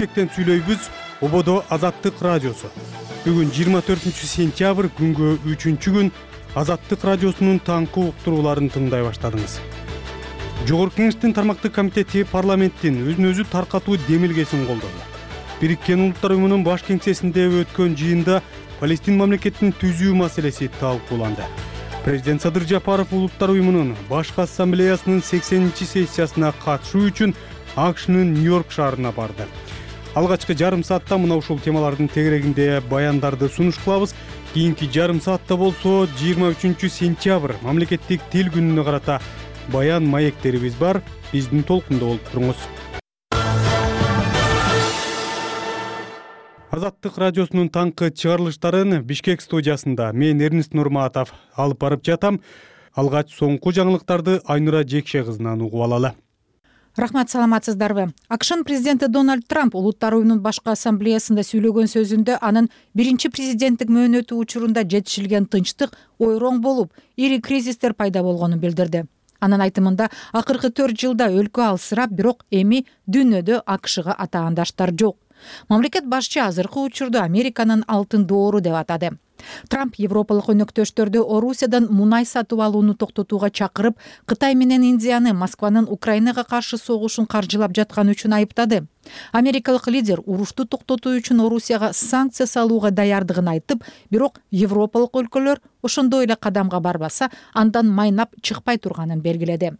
Бишкектен сүйлөйбүз. Ободо Азаттык радиосу. Бүгүн 24-сентябрь күнгө 3-күн Азаттык радиосунун таңкы уктурууларын тыңдай баштадыңыз. Жогорку Кеңештин тармактык комитети парламенттин өзүн-өзү таркатуу демилгесин колдоду. Бириккен Улуттар уюмунун баш кеңсесинде өткөн жыйында Палестин мамлекетин түзүү маселеси талкууланды. Президент Садыр Жапаров Улуттар уюмунун башкы ассамблеясынын 80-сессиясына катышуу үчүн АКШнын Нью-Йорк шаарына барды. Алгачкы жарым саатта мына ушул темалардын тегерегинде баяндарды сунуш кылабыз. Кийинки жарым саатта болсо 23-сентябрь мамлекеттик тил күнүнө карата баян маектерибиз бар. Биздин толкунда болуп туруңуз. Азаттык радиосунун таңкы чыгарылыштарын Бишкек студиясында мен Эрнист Нурматов алып барып жатам. Алгач соңку жаңылыктарды Айнура Жекше кызынан угуп алалы. Рахмат, саламатсыздарбы? АКШнын президенти Дональд Трамп Улуттар уюмунун башкы ассамблеясында сүйлөгөн сөзүндө анын биринчи президенттик мөөнөтү учурунда жетишилген тынчтык ойроң болуп, ири кризистер пайда болгонун билдирди. Анын айтымында акыркы 4 жылда өлкө алсырап, бирок эми дүйнөдө АКШга атаандаштар жок. Мамлекет башчы азыркы учурду Американын алтын доору деп атады. Трамп европалык өнөктөштөрдү Орусиядан мунай сатып алууну токтотууга чакырып, Кытай менен Индияны Москванын Украинага каршы согушун каржылап жатканы үчүн айыптады. Америкалык лидер урушту токтотуу үчүн Орусияга санкция салууга даярдыгын айтып, бирок европалык өлкөлөр ошондой эле кадамга барбаса, андан майнап чыкпай турганын белгиледи.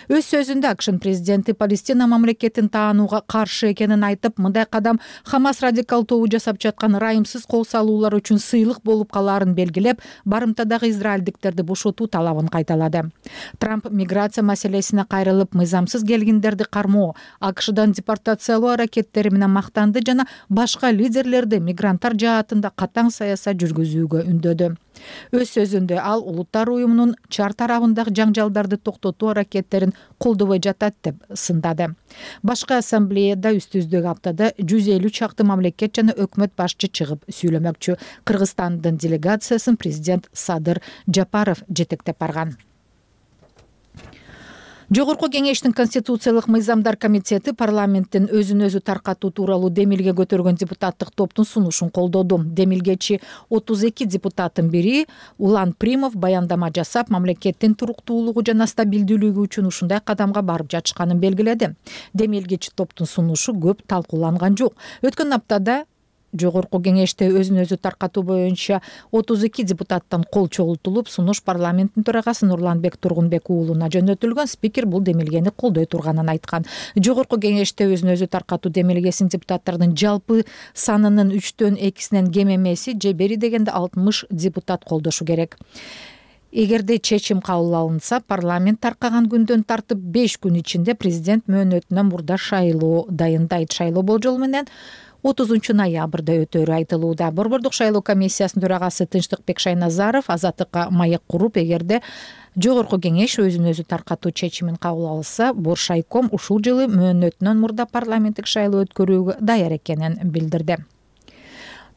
Өз сөзүндө АКШнын президенти Палестина мамлекетин таанууга каршы экенин айтып, мындай кадам Хамас радикал тобу жасап жаткан ырайымсыз кол салуулар үчүн сыйлык болуп калаарын белгилеп, барымтадагы израилдиктерди бошотуу талабын кайталады. Трамп миграция маселесине кайрылып, мыйзамсыз келгиндерди кармоо, АКШдан депортациялоо аракеттери менен мактанды жана башка лидерлерди мигранттар жаатында катаң саясат жүргүзүүгө үндөдү. Өз сөзүндө ал Улуттар уюмунун чар тарабындагы жаңжалдарды токтотуу аракеттерин колдобой жатат деп сындады. Башкы ассамблеяда үстүздөгү аптада 150 чакты мамлекет жана өкмөт башчы чыгып сүйлөмөкчү. Кыргызстандын делегациясын президент Садыр Жапаров жетектеп барган. Жогорку Кеңештин Конституциялык мыйзамдар комитети парламенттин өзүн-өзү таркатуу тууралуу демилге көтөргөн депутаттык топтун сунушун колдоду. Демилгечи 32 депутаттын бири Улан Примов баяндама жасап, мамлекеттин туруктуулугу жана стабилдүүлүгү үчүн ушундай кадамга барып жатышканын белгиледи. Демилгечи топтун сунушу көп талкууланган жок. Өткөн аптада Жогорку Кеңеште өзүн-өзү таркатуу боюнча 32 депутаттан кол чогултулуп, сунуш парламенттин төрагасы Нурланбек Тургунбек уулуна жөнөтүлгөн. Спикер бул демилгени колдой турганын айткан. Жогорку Кеңеште өзүн-өзү таркатуу демилгесин депутаттардын жалпы санынын 3/2 кем эмеси, же бери дегенде 60 депутат колдошу керек. Эгерде чечим кабыл алынса, парламент таркаган күндөн тартып 5 күн ичинде президент мөөнөтүнөн мурда шайлоо дайындайт. Шайлоо болжол менен 30 ноябрда өтөрү айтылууда. Борбордук шайлоо комиссиясынын төрагасы Тынчтыкбек Шайназаров Азаттыкка маек куруп, эгерде Жогорку Кеңеш өзүн-өзү таркатуу чечимин кабыл алса, Боршайком ушул жылы мөөнөтүнөн мурда парламенттик шайлоо өткөрүүгө даяр экенин билдирди.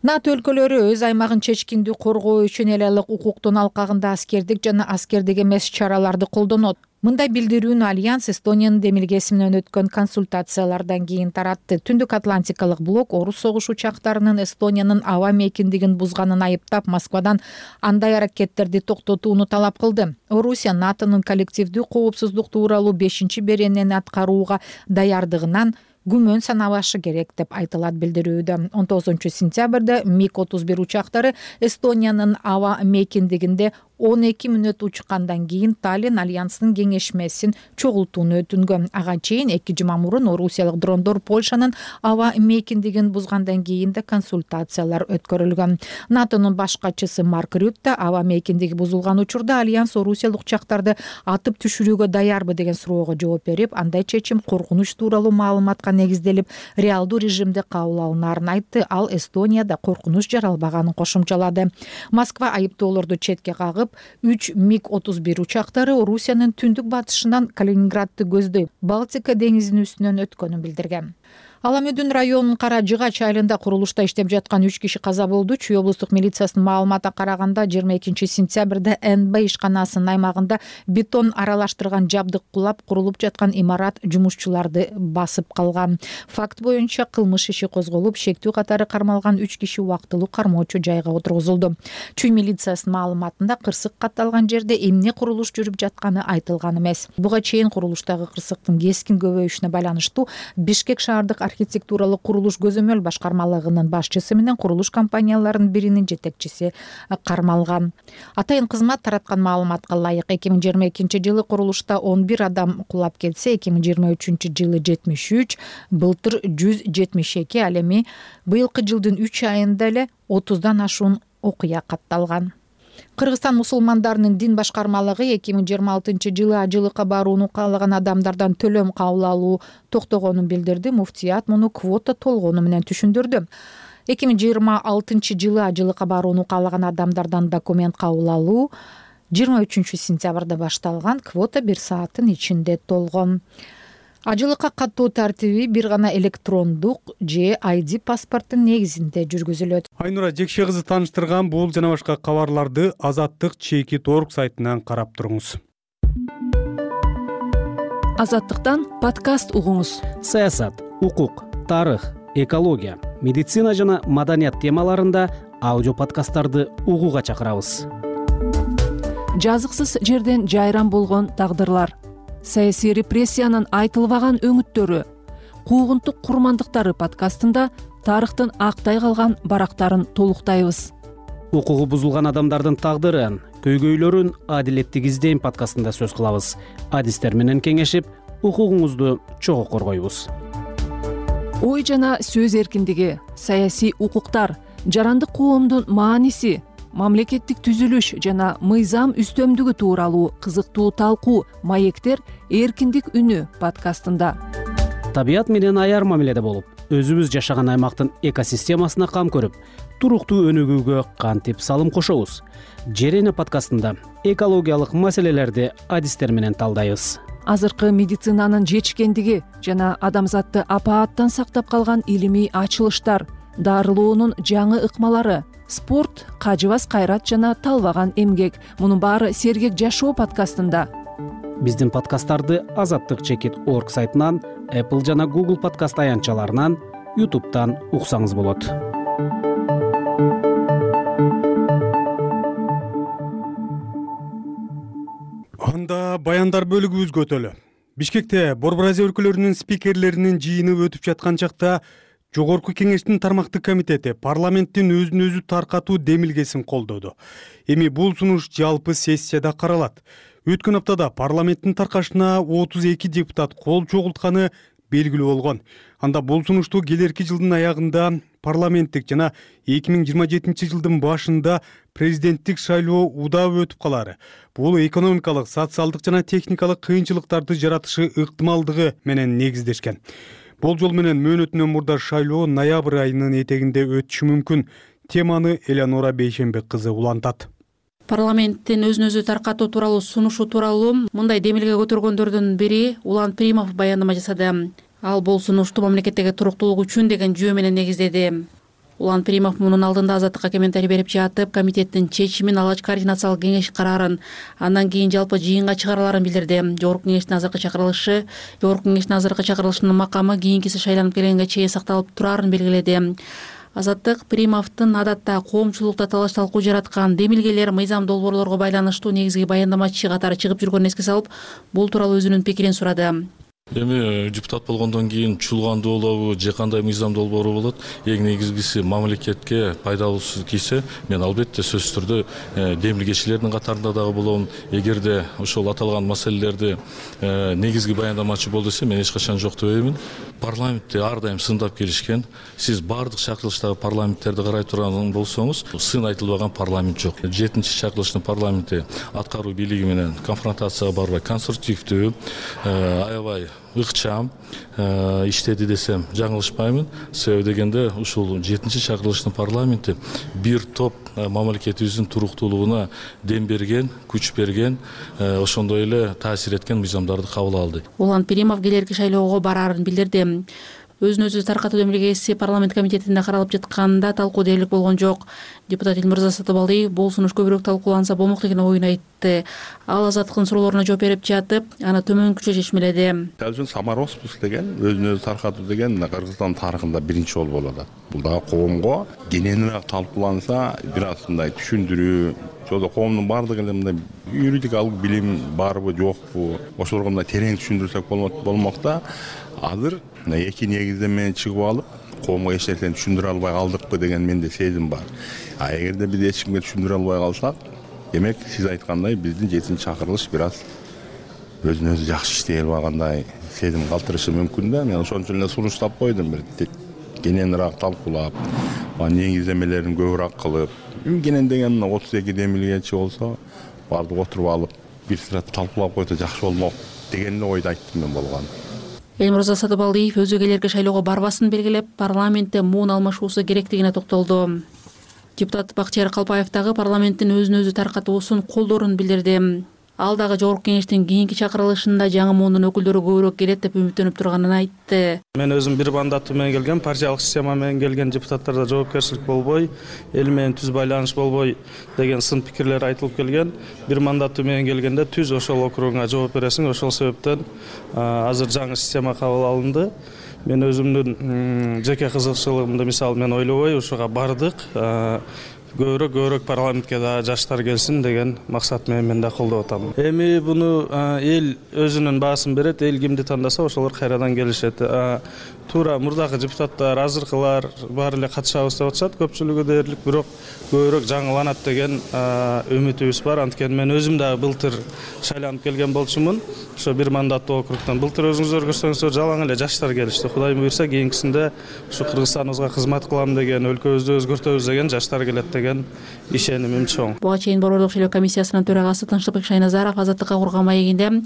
НАТО өлкөлөрү өз аймагын чечкиндүү коргоо үчүн эл алык укуктун алкагында аскердик жана аскердик эмес чараларды колдонот. Мындай билдирүүнү Альянс Эстониянын демилгеси менен өткөн консультациялардан кийин таратты. Түндүк Атлантикалык блок орус согуш учактарынын Эстониянын аба мейкиндигин бузганын айыптап, Москвадан андай аракеттерди токтотууну талап кылды. Орусия НАТОнун коллективдүү коопсуздук тууралуу 5-беренени аткарууга даярдыгынан күмөн санабашы керек деп айтылат билдирүүдө. 19-сентябрда МиГ-31 учактары Эстониянын аба мейкиндигинде 12 мүнөт учкандан кийин Таллин альянсынын кеңешмесин чогултууну өтүнгөн. Ага чейин 2 жума мурун орусиялык дрондор Польшанын аба мейкиндигин бузгандан кийин да консультациялар өткөрүлгөн. НАТОнун баш катчысы Марк Рютте аба мейкиндиги бузулган учурда альянс орусиялык учактарды атып түшүрүүгө даярбы деген суроого жооп берип, андай чечим коркунуч тууралуу маалыматка негизделип, реалдуу режимде кабыл алынаарын айтты. Ал Эстонияда коркунуч жаралбаганын кошумчалады. Москва айыптоолорду четке кагып, 3 МиГ-31 учактары Орусиянын түндүк батышынан Калининградты көздөй Балтика деңизинин үстүнөн өткөнүн билдирген. Аламөдүн районунун Кара Жыгач айылында курулушта иштеп жаткан 3 киши каза болду. Чүй облустук милициясынын маалыматына караганда 22-сентябрда НБ ишканасынын аймагында бетон аралаштырган жабдык кулап, курулуп жаткан имарат жумушчуларды басып калган. Факт боюнча кылмыш иши козголуп, шектүү катары кармалган 3 киши убактылуу кармоочу жайга отургузулду. Чүй милициясынын маалыматында кырсык катталган жерде эмне курулуш жүрүп жатканы айтылган эмес. Буга чейин курулуштагы кырсыктын кескин көбөйүшүнө байланыштуу Бишкек шаардык архитектуралык курулуш көзөмөл башкармалыгынын башчысы менен курулуш компанияларынын биринин жетекчиси кармалган. Атайын кызмат тараткан маалыматка ылайык 2022-жылы курулушта 11 адам кулап кетсе, 2023-жылы 73, былтыр 172, ал эми быйылкы жылдын 3 айында эле 30дан ашуун окуя катталган. Кыргызстан мусулмандарынын дин башкармалыгы 2026-жылы ажылыкка барууну каалаган адамдардан төлөм кабыл алуу токтогонун билдирди. Муфтият муну квота толгону менен түшүндүрдү. 2026-жылы ажылыкка барууну каалаган адамдардан документ кабыл алуу 23-сентябрда башталган. Квота 1 сааттын ичинде толгон. Ажылыкка каттоо тартиби бир гана электрондук же ID паспорттун негизинде жүргүзүлөт. Айнура Жекше кызы тааныштырган бул жана башка кабарларды Азаттык.org сайтынан карап туруңуз. Азаттыктан подкаст угуңуз. Саясат, укук, тарых, экология, медицина жана маданият темаларында аудио подкасттарды угууга чакырабыз. Жазыксыз жерден жайран болгон тагдырлар, саясий репрессиянын айтылбаган өңүттөрү, куугунтук курмандыктары подкастында тарыхтын актай калган барактарын толуктайбыз. Укугу бузулган адамдардын тагдырын, көйгөйлөрүн адилеттик издейм подкастында сөз кылабыз. Адистер менен кеңешип, укугуңузду чогуу коргойбуз. Ой жана сөз эркиндиги, саясий укуктар, жарандык коомдун мааниси, мамлекеттик түзүлүш жана мыйзам үстөмдүгү тууралуу кызыктуу талкуу маектер эркиндик үнү подкастында. Табият менен аяр мамиледе болуп, өзүбүз жашаган аймактын экосистемасына кам көрүп, туруктуу өнүгүүгө кантип салым кошобуз. Жер эне подкастында экологиялык маселелерди адистер менен талдайбыз. Азыркы медицинанын жетишкендиги жана адамзатты апааттан сактап калган илимий ачылыштар, дарылоонун жаңы ыкмалары, спорт, кажыбас кайрат жана талбаган эмгек. Мунун баары Сергек жашоо подкастында. Биздин подкасттарды Азаттык.org сайтынан, Apple жана Google подкаст аянтчаларынан, YouTube'тан уксаңыз болот. Анда баяндар бөлүгүбүзгө өтөлү. Бишкекте Борбор Азия өлкөлөрүнүн спикерлеринин жыйыны өтүп жаткан чакта Жогорку кеңештин тармактык комитети парламенттин өзүн өзү таркатуу демилгесин колдоду. Эми бул сунуш жалпы сессияда каралат. Өткөн аптада парламенттин таркашына 32 депутат кол чогултканы белгилүү болгон. Анда бул сунушту келерки жылдын аягында парламенттик жана 2027-жылдын башында президенттик шайлоо удап өтүп калары. Бул экономикалык, социалдык жана техникалык кыйынчылыктарды жаратышы ыктымалдыгы менен негиздешкен. Болжол менен мөөнөтүнөн мурда шайлоо ноябрь айынын этегинде өтүшү мүмкүн. Теманы Элеонора Бейшенбек кызы улантат. Парламенттин өзүн өзү таркатуу тууралуу сунушу тууралуу мындай демилге көтөргөндөрдүн бири Улан Пиримов баяндама жасады. Ал бул сунушту мамлекеттеги туруктуулук үчүн деген жөө менен негиздеди. Улан Пиримов мунун алдында Азаттыкка комментарий берип жатып, комитеттин чечимин алгач координациялык кеңеш караарын, андан кийин жалпы жыйынга чыгараларын билдирди. Жогорку кеңештин азыркы чакырылышынын макамы кийинкиси шайланып келгенге чейин сакталып турарын белгиледи. Азаттык Пиримовдун адатта коомчулукта талаш талкуу жараткан демилгелер, мыйзам долбоорлорго байланыштуу негизги баяндамачы катары чыгып жүргөнүн эске салып, бул тууралуу өзүнүн пикирин сурады. Эми депутат болгондон кийин чулгандуу болобу же кандай мыйзам долбоору болот, эң негизгиси мамлекетке пайдалуусу тийсе, мен албетте сөзсүз түрдө демилгечилердин катарында дагы болом. Эгерде ошол аталган маселелерди негизги баяндамачы бол десе, мен эч качан жок дебеймин. Парламентте ар дайым сындап келишкен. Сиз бардык чакырылыштагы парламенттерди карай турган болсоңуз, сын айтылбаган парламент жок. 7-чи чакырылыштын парламенти аткаруу бийлиги менен конфронтацияга барбай, конструктивдүү, аябай ыкчам иштеди десем жаңылышпаймын. Себеби дегенде ушул 7-чи чакырылыштын парламенти бир топ мамлекетибиздин туруктуулугуна дем берген, күч берген, ошондой эле таасир эткен мыйзамдарды кабыл алды. Улан Пиримов келерки шайлоого бараарын билдирди. өзүн өзү таркатуу демилгеси парламент комитетинде каралып жатканда талкуу дээрлик болгон жок. Депутат Элмырза Сатыбалдиев бул сунуш көбүрөөк талкууланса болмок деген оюн айтты. Ал Азаттыктын суроолоруна жооп берип жатып, аны төмөнкүчө чечмеледи. Самароспус деген өзүн өзү таркатуу деген Кыргызстан тарыхында биринчи жолу болот. Бул дагы коомго кененирээк талкууланса, бир аз мындай түшүндүрүү, жолдо коомдун баардыгы эле мындай юридикалык билим барбы жокпу, ошолорго мындай терең түшүндүрсөк болмок да. Азыр эки негизден менен чыгып алып, коомго эч нерсени түшүндүрө албай калдыкпы деген менде сезим бар. Эгерде биз эч кимге түшүндүрө албай калсак, демек сиз айткандай биздин 7-чи чакырылыш бир аз өзүн өзү жакшы иштей албагандай сезим калтырышы мүмкүн да. Мен ошон үчүн эле сунуштап койдум, бир кененирээк талкуулап, негиздемелерин көбүрөөк кылып, кенен деген 32 демилгечи болсо, баардык отуруп алып, бир сыра талкуулап койсо жакшы болмок деген эле ойду айттым мен болгон. Элмырза Сатыбалдиев өзгөлөргө шайлоого барбасын белгилеп, парламентте муун алмашуусу керектигине токтолду. Депутат Бактияр Калпаев дагы парламенттин өзүн өзү таркатуусун колдоорун билдирди. Ал дагы жогорку кеңештин кийинки чакырылышында жаңы муундун өкүлдөрү көбүрөөк келет деп үмүттөнүп турганын айтты. Мен өзүм бир мандат менен келген, партиялык система менен келген депутаттарда жоопкерчилик болбой, эл менен түз байланыш болбой деген сын пикирлер айтылып келген. Бир мандат менен келгенде түз ошол округуңа жооп бересиң, ошол себептен азыр жаңы система кабыл алынды. Мен өзүмдүн жеке кызыкчылыгымды мисалы мен ойлобой ушуга бардык. Көбүрөөк парламентке да жаштар келсин деген максат менен мен да колдоп атам. Эми буну эл өзүнүн баасын берет, эл кимди тандаса ошолор кайрадан келишет. Туура мурдагы депутаттар, азыркылар баары эле катышабыз деп атышат, көпчүлүгү дээрлик, бирок көбүрөөк жаңыланат деген үмүтүбүз бар. Анткени мен өзүм дагы былтыр шайланып келген болчумун. Ошо бир мандаттуу округтан былтыр өзүңүздөр көрсөңүздөр жалаң эле жаштар келишти. Кудайым буйрса кийинкисинде ушу Кыргызстаныбызга кызмат кылам деген, өлкөбүздү өзгөртөбүз деген жаштар келет деген ишенимим чоң. Буга чейин Борбордук шайлоо комиссиясынын төрагасы Тынчтыкбек Шайназаров Азаттыкка курган маегинде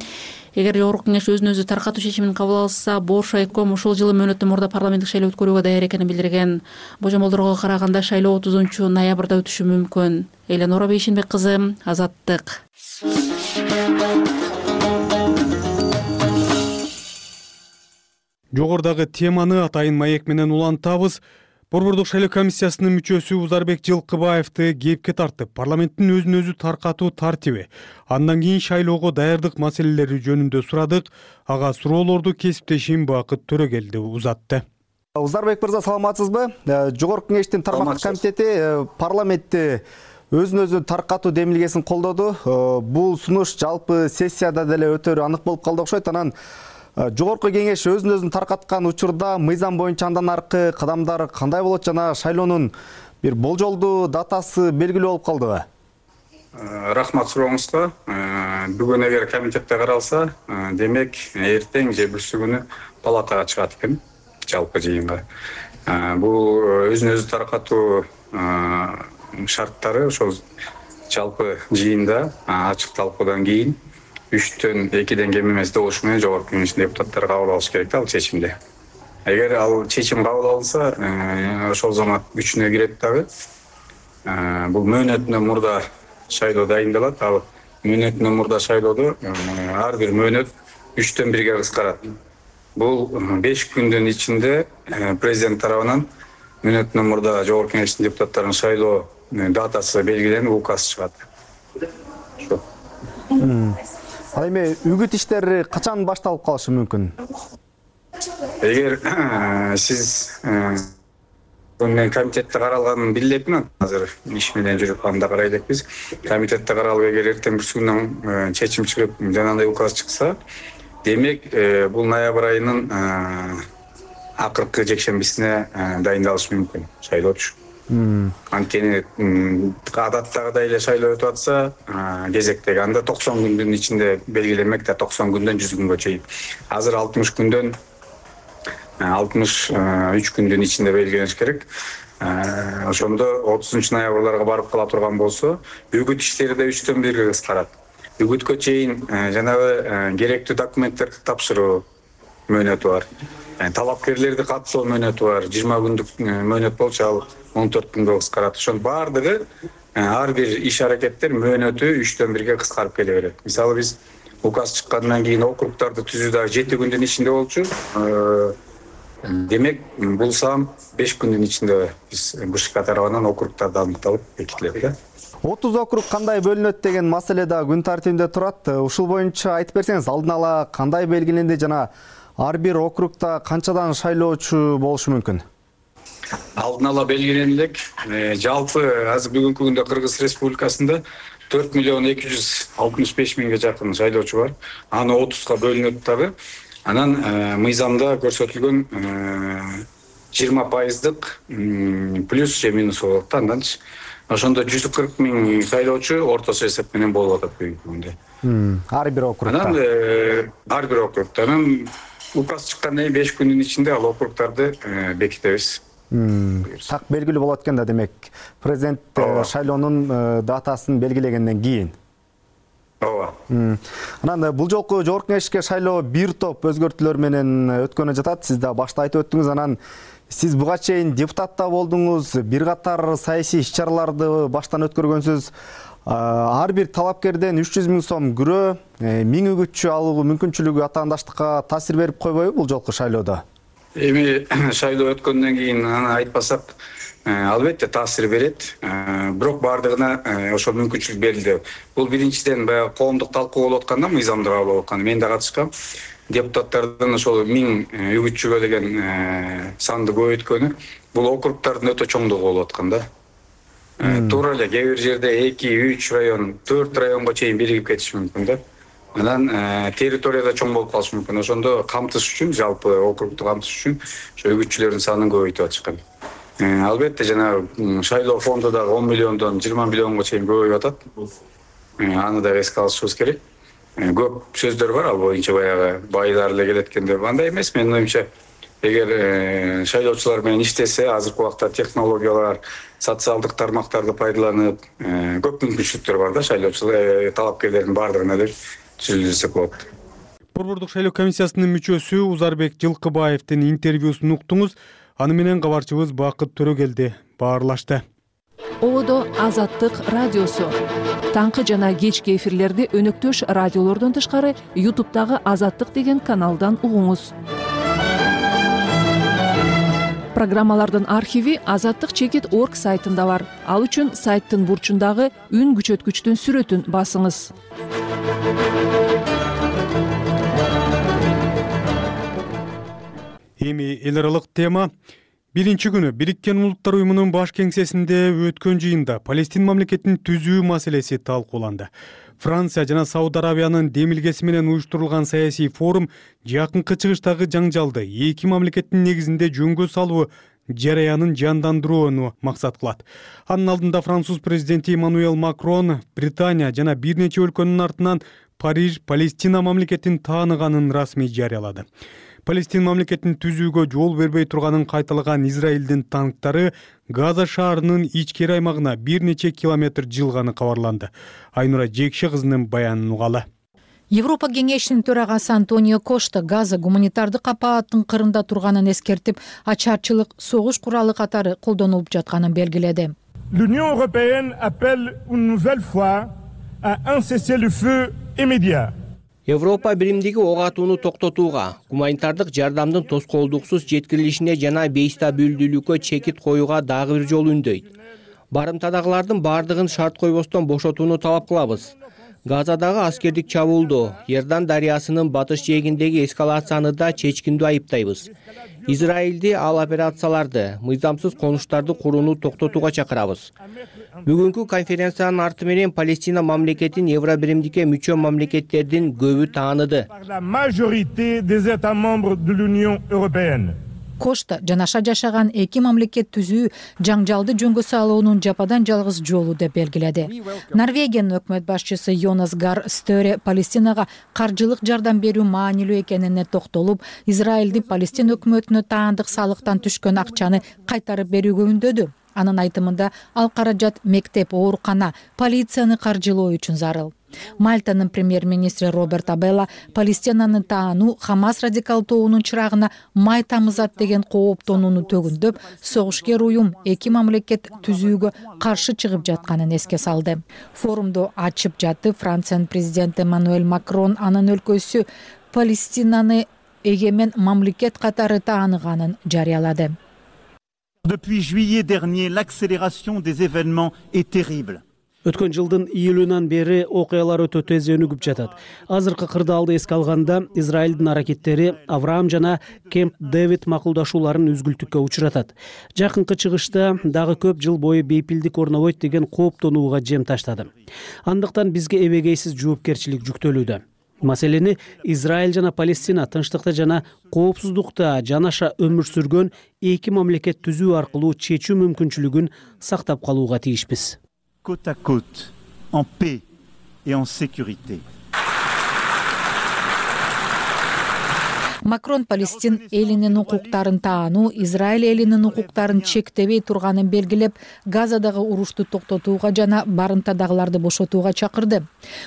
эгер жогорку кеңеш өзүн өзү таркатуу чечимин кабыл алса, Бош райком ушул жылы мөөнөттөн мурда парламенттик шайлоо өткөрүүгө даяр экенин билдирген. Божомолдорго караганда шайлоо 30-ноябрда өтүшү мүмкүн. Эленора Бейшенбек кызы, Азаттык. Жогордагы теманы атайын маек менен улантабыз. Борбордук шайлоо комиссиясынын мүчөсү Узарбек Жылкыбаевди кепке тартып, парламенттин өзүн өзү таркатуу тартиби, андан кийин шайлоого даярдык маселелери жөнүндө сурадык. Ага суроолорду кесиптешим Бакыт Төрөгелди узатты. Узарбек мырза, саламатсызбы? Жогорку кеңештин тармактык комитети парламентте өзүн өзү таркатуу демилгесин колдоду. Бул сунуш жалпы сессияда деле өтөрү анык болуп калды окшойт. Анан жогорку кеңеш өзүн өзүн таркаткан учурда мыйзам боюнча андан аркы кадамдар кандай болот жана шайлоонун бир болжолдуу датасы белгилүү болуп калдыбы? Рахмат сурооңузга. Бүгүн эгер комитетте каралса, демек эртең же бүрсү күнү палатага чыгат экен, жалпы жыйынга. Бул өзүн өзү таркатуу шарттары ошол жалпы жыйында ачык талкуудан кийин 3-төн 2ден кем эмес добуш менен жогорку кеңештин депутаттары кабыл алыш керек ал чечимди. Эгер ал чечим кабыл алынса, ошол замат күчүнө кирет дагы. Бул мөөнөтүнөн мурда шайлоо дайындалат. Ал мөөнөтүнөн мурда шайлоодо ар бир мөөнөт 3-төн 1ге кыскарат. Бул 5 күндүн ичинде президент тарабынан мөөнөтүнөн мурда жогорку кеңештин депутаттарынын шайлоо датасы белгиленип, указ чыгат. Ал эми үгүт иштери качан башталып калышы мүмкүн? Эгер сиз мен комитетте каралганын билбеймин, азыр иш менен жүрүп анда карай элекпиз. Комитетте каралып, эгер эртең бүрсү күнүн чечим чыгып, жанагындай указ чыкса, демек бул ноябрь айынын акыркы жекшембисине дайындалыш мүмкүн шайлоо үчүн. Анткени адаттагыдай эле шайлоо өтүп атса, кезектеги анда 90 күндүн ичинде белгиленмек да, 90 күндөн 100 күнгө чейин. Азыр 60 күндөн 63 күндүн ичинде белгилениш керек. Ошондо 30-ноябрга барып кала турган болсо, үгүт иштери да 3-төн 1ге кыскарат. Үгүткө чейин жанагы керектүү документтерди тапшыруу мөөнөтү бар. Талапкерлерди каттоо мөөнөтү бар. 20 күндүк мөөнөт болчу, ал 14 күнгө кыскарат. Ошол баардыгы ар бир иш аракеттер мөөнөтү 3-төн 1ге кыскарып келе берет. Мисалы биз указ чыккандан кийин округдарды түзүү дагы 7 күндүн ичинде болчу. Демек бул сан 5 күндүн ичинде биз БШК тарабынан округдарды аныкталып бекитилет да. 30 округ кандай бөлүнөт деген маселе да күн тартибинде турат. Ушул боюнча айтып берсеңиз, алдын ала кандай белгиленди жана ар бир округда канчадан шайлоочу болушу мүмкүн? Алдын ала белгиленди элек. Жалпы азыр бүгүнкү күндө Кыргыз Республикасында 4 миллион 265 миңге жакын шайлоочу бар. Аны 30га бөлүнөт дагы. Анан мыйзамда көрсөтүлгөн 20% плюс же минус болот да. Андан ошондо 140 миң шайлоочу ортосу эсеп менен болуп атат бүгүнкү күндө. Ар бир округда. Анан ар бир округда. Анан указ чыккандан кийин 5 күндүн ичинде ал округдарды бекитебиз. Так белгилүү болот экен да, демек президент шайлоонун датасын белгилегенден кийин. Ооба. Анан бул жолку жогорку кеңешке шайлоо бир топ өзгөртүүлөр менен өткөнү жатат. Сиз да башта айтып өттүңүз. Анан сиз буга чейин депутат да болдуңуз, бир катар саясий иш-чараларды баштан өткөргөнсүз. Ар бир талапкерден 300 миң сом күрөө, 1000 үгүтчү алуу мүмкүнчүлүгү атаандаштыкка таасир берип койбойбу бул жолку шайлоодо? Эми шайлоо өткөндөн кийин аны айтпасак, албетте таасир берет. Бирок бардыгына ошол мүмкүнчүлүк берилди. Бул биринчиден баягы коомдук талкуу болуп атканда, мыйзамды кабыл алып атканда мен да катышкам. Депутаттардын ошол 1000 үгүтчүгө деген санды көбөйткөнү бул округдардын өтө чоңдугу болуп атканда. Туура эле кээ бир жерде 2-3 район, 4 районго чейин биригип кетиши мүмкүн да. Анан территорияда чоң болуп калышы мүмкүн. Ошондо камтыш үчүн, жалпы округду камтыш үчүн ошо үгүтчүлөрдүн санын көбөйтүп атышкан. Албетте жана шайлоо фонду дагы 10 миллиондон 20 миллионго чейин көбөйүп атат. Аны да эске алышыбыз керек. Көп сөздөр бар ал боюнча, баягы байлар эле келет экен деп. Андай эмес, менин оюмча. Эгер шайлоочулар менен иштесе, азыркы убакта технологиялар, социалдык тармактарды пайдаланып, көп мүмкүнчүлүктөр бар да шайлоочулар, талапкерлердин бардыгына деп түзүлсөк болот. Борбордук шайлоо комиссиясынын мүчөсү Узарбек Жылкыбаевдин интервьюсун уктуңуз. Аны менен кабарчыбыз Бакыт Төрөгелди баарлашты. Ободо Азаттык радиосу. Таңкы жана кечки эфирлерди өнөктөш радиолордон тышкары YouTube'дагы Азаттык деген каналдан угуңуз. Программалардын архиви azattik.org сайтында бар. Ал үчүн сайттын бурчундагы үн күчөткүчтүн сүрөтүн басыңыз. Эми эл аралык тема. Биринчи күнү Бириккен Улуттар уюмунун баш кеңсесинде өткөн жыйында Палестин мамлекетин түзүү маселеси талкууланды. Франция жана Сауд Арабиянын демилгеси менен уюштурулган саясий форум жакынкы чыгыштагы жаңжалды эки мамлекеттин негизинде жөнгө салуу жараянын жандандырууну максат кылат. Анын алдында француз президенти Эммануэль Макрон Британия жана бир нече өлкөнүн артынан Париж Палестина мамлекетин тааныганын расмий жарыялады. Палестин мамлекетин түзүүгө жол бербей турганын кайталаган Израилдин танктары Газа шаарынын ичкери аймагына бир нече километр жылганы кабарланды. Айнура Жекше кызынын баянын угалы. Европа кеңешинин төрагасы Антонио Кошта Газа гуманитардык апааттын кырында турганын эскертип, ачарчылык согуш куралы катары колдонулуп жатканын белгиледи. L'Union européenne appelle une nouvelle fois à un cessez-le-feu immédiat. Европа биримдиги ок атууну токтотууга, гуманитардык жардамдын тоскоолдуксуз жеткирилишине жана бейстабилдүүлүккө чекит коюуга дагы бир жолу үндөйт. Барымтадагылардын бардыгын шарт койбостон бошотууну талап кылабыз. Газадагы аскердик чабуулду, Иордан дарыясынын батыш жээгиндеги эскалацияны да чечкиндүү айыптайбыз. Израилди ал операцияларды, мыйзамсыз конуштарды курууну токтотууга чакырабыз. Бүгүнкү конференциянын арты менен Палестина мамлекетин Евро биримдикке мүчө мамлекеттердин көбү тааныды. Кошта жанаша жашаган эки мамлекет түзүү жаңжалды жөнгө салуунун жападан жалгыз жолу деп белгиледи. Норвегиянын өкмөт башчысы Йонас Гар Сtöre Палестинага каржылык жардам берүү маанилүү экенине токтолуп, Израилди Палестин өкмөтүнө таандык салыктан түшкөн акчаны кайтарып берүүгө үндөдү. Анын айтымында ал каражат мектеп, оорукана, полицияны каржылоо үчүн зарыл. Мальтанын премьер-министри Роберт Абелла Палестинаны таануу Хамас радикал тобунун чырагына май тамызат деген кооптонууну төгүндөп, согушкер уюм эки мамлекет түзүүгө каршы чыгып жатканын эске салды. Форумду ачып жатып Франциянын президенти Эммануэль Макрон анын өлкөсү Палестинаны эгемен мамлекет катары тааныганын жарыялады. Depuis juillet dernier, l'accélération des événements est terrible. Өткөн жылдын июлунан бери окуялар өтө тез өнүгүп жатат. Азыркы кырдаалды эске алганда, Израилдин аракеттери Авраам жана Кемп Дэвид макулдашууларын үзгүлтүккө учуратат. Жакынкы чыгышта дагы көп жыл бою бейпилдик орнобойт деген кооптонууга жем таштады. Андыктан бизге эбегейсиз жоопкерчилик жүктөлүүдө. Маселени Израиль жана Палестина тынчтыкта жана коопсуздукта жанаша өмүр сүргөн эки мамлекет түзүү аркылуу чечүү мүмкүнчүлүгүн сактап калууга тийишпиз. Côte à côte, en paix et en sécurité. Макрон Палестин элинин укуктарын таануу, Израиль элинин укуктарын чектебей турганын белгилеп, Газадагы урушту токтотууга жана барымтадагыларды бошотууга чакырды.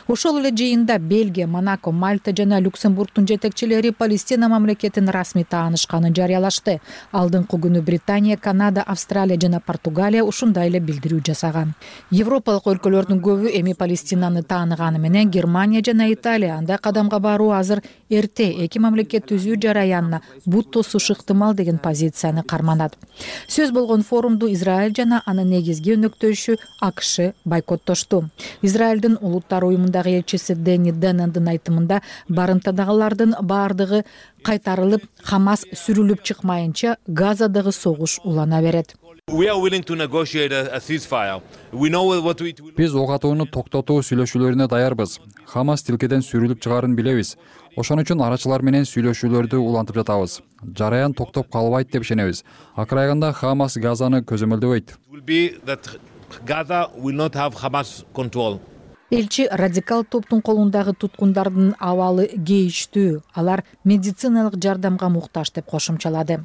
Ошол эле жыйында Бельгия, Монако, Мальта жана Люксембургдун жетекчилери Палестина мамлекетин расмий таанышканын жарыялашты. Алдыңкы күнү Британия, Канада, Австралия жана Португалия ушундай эле билдирүү жасаган. Европалык өлкөлөрдүн көбү эми Палестинаны тааныганы менен Германия жана Италия андай кадамга баруу азыр эрте эки мамлекет түзүү жараянына бут тосушу ыктымал деген позицияны карманат. Сөз болгон форумду Израиль жана анын негизги өнөктөшү АКШ бойкоттошту. Израилдин улуттар уюмундагы элчиси Дени Денендин айтымында барымтадагылардын баардыгы кайтарылып, Хамас сүрүлүп чыкмайынча Газадагы согуш улана берет. Биз ок атууну токтотуу сүйлөшүүлөрүнө даярбыз. Хамас тилкеден сүрүлүп чыгарын билебиз. Ошон үчүн арачылар менен сүйлөшүүлөрдү улантып жатабыз. Жараян токтоп калбайт деп ишенебиз. Акырайганда Хамас Газаны көзөмөлдөбөйт. Элчи радикал топтун колундагы туткундардын абалы кейиштүү, алар медициналык жардамга муктаж деп кошумчалады.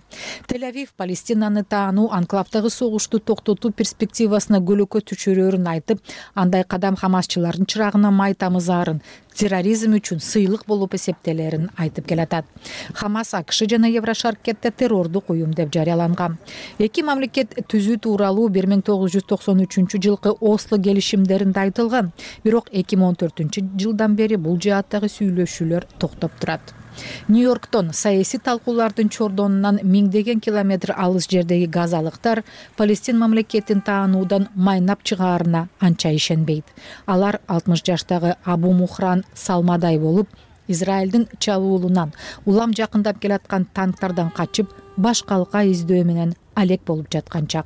Тель-Авив Палестинаны таануу анклавдагы согушту токтотуу перспективасына көлөкө түшүрөрүн айтып, андай кадам хамасчылардын чырагына май тамызаарын, терроризм үчүн сыйлык болуп эсептелерин айтып келатат. Хамас АКШ жана Еврошаркетте террордук уюм деп жарыяланган. Эки мамлекет түзүү тууралуу 1993 жылкы Осло келишимдеринде айтылган. Бирок 2014 жылдан бери бул жааттагы сүйлөшүүлөр токтоп турат. Нью-Йорктон саясий талкуулардын чордонунан миңдеген километр алыс жердеги газалыктар Палестин мамлекетин таануудан майнап чыгаарына анча ишенбейт. Алар 60 жаштагы Абу Мухран Салмадай болуп, Израилдин чабуулунан улам жакындап келаткан танктардан качып, башкалка издөө менен алек болуп жаткан чак.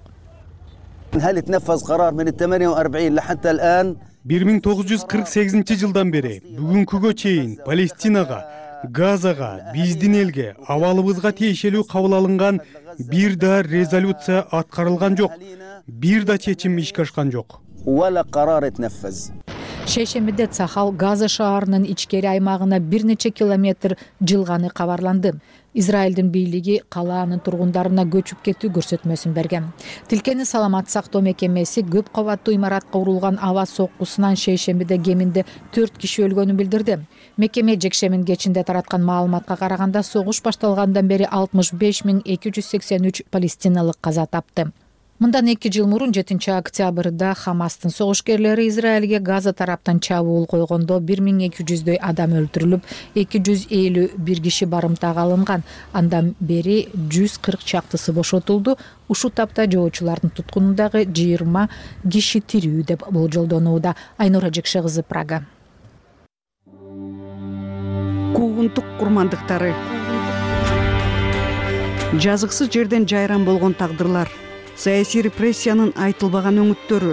1948 жылдан бери бүгүнкүгө чейин Палестинага, Газага, биздин элге, абалыбызга тиешелүү кабыл алынган бир да резолюция аткарылган жок. Бир да чечим ишке ашкан жок. Шейшембиде Цахал Газа шаарынын ичкери аймагына бир нече километр жылганы кабарланды. Израилдин бийлиги калаанын тургундарына көчүп кетүү көрсөтмөсүн берген. Тилкени саламат сактоо мекемеси көп кабаттуу имаратка урулган аба соккусунан шейшембиде кеминде 4 киши өлгөнүн билдирди. Мекеме жекшембинин кечинде тараткан маалыматка караганда согуш башталгандан бери 65.283 палестиналык каза тапты. Мындан 2 жыл мурун 7 октябрда Хамастын согушкерлери Израилге Газа тараптан чабуул койгондо 1200дөй адам өлтүрүлүп, 251 киши барымтага алынган. Андан бери 140 чактысы бошотулду. Ушул тапта жоочулардын туткунундагы 20 киши тирүү деп болжолдонууда. Айнура Жекше кызы, Прага. Куугунтук курмандыктары. Жазыксыз жерден жайран болгон тагдырлар. Саясий репрессиянын айтылбаган өңүттөрү,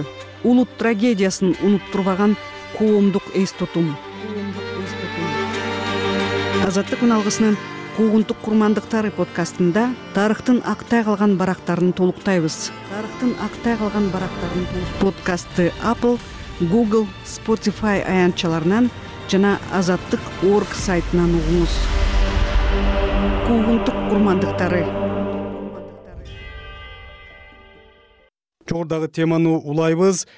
улут трагедиясын унуттурбаган коомдук эс тутум. Азаттык үналгысынын Куугунтук курмандыктары подкастында тарыхтын актай калган барактарын толуктайбыз. Подкастты Apple, Google, Spotify аянтчаларынан жана Азаттык.org сайтынан угуңуз. Куугунтук курмандыктары. Жогорудагы теманы улайбыз.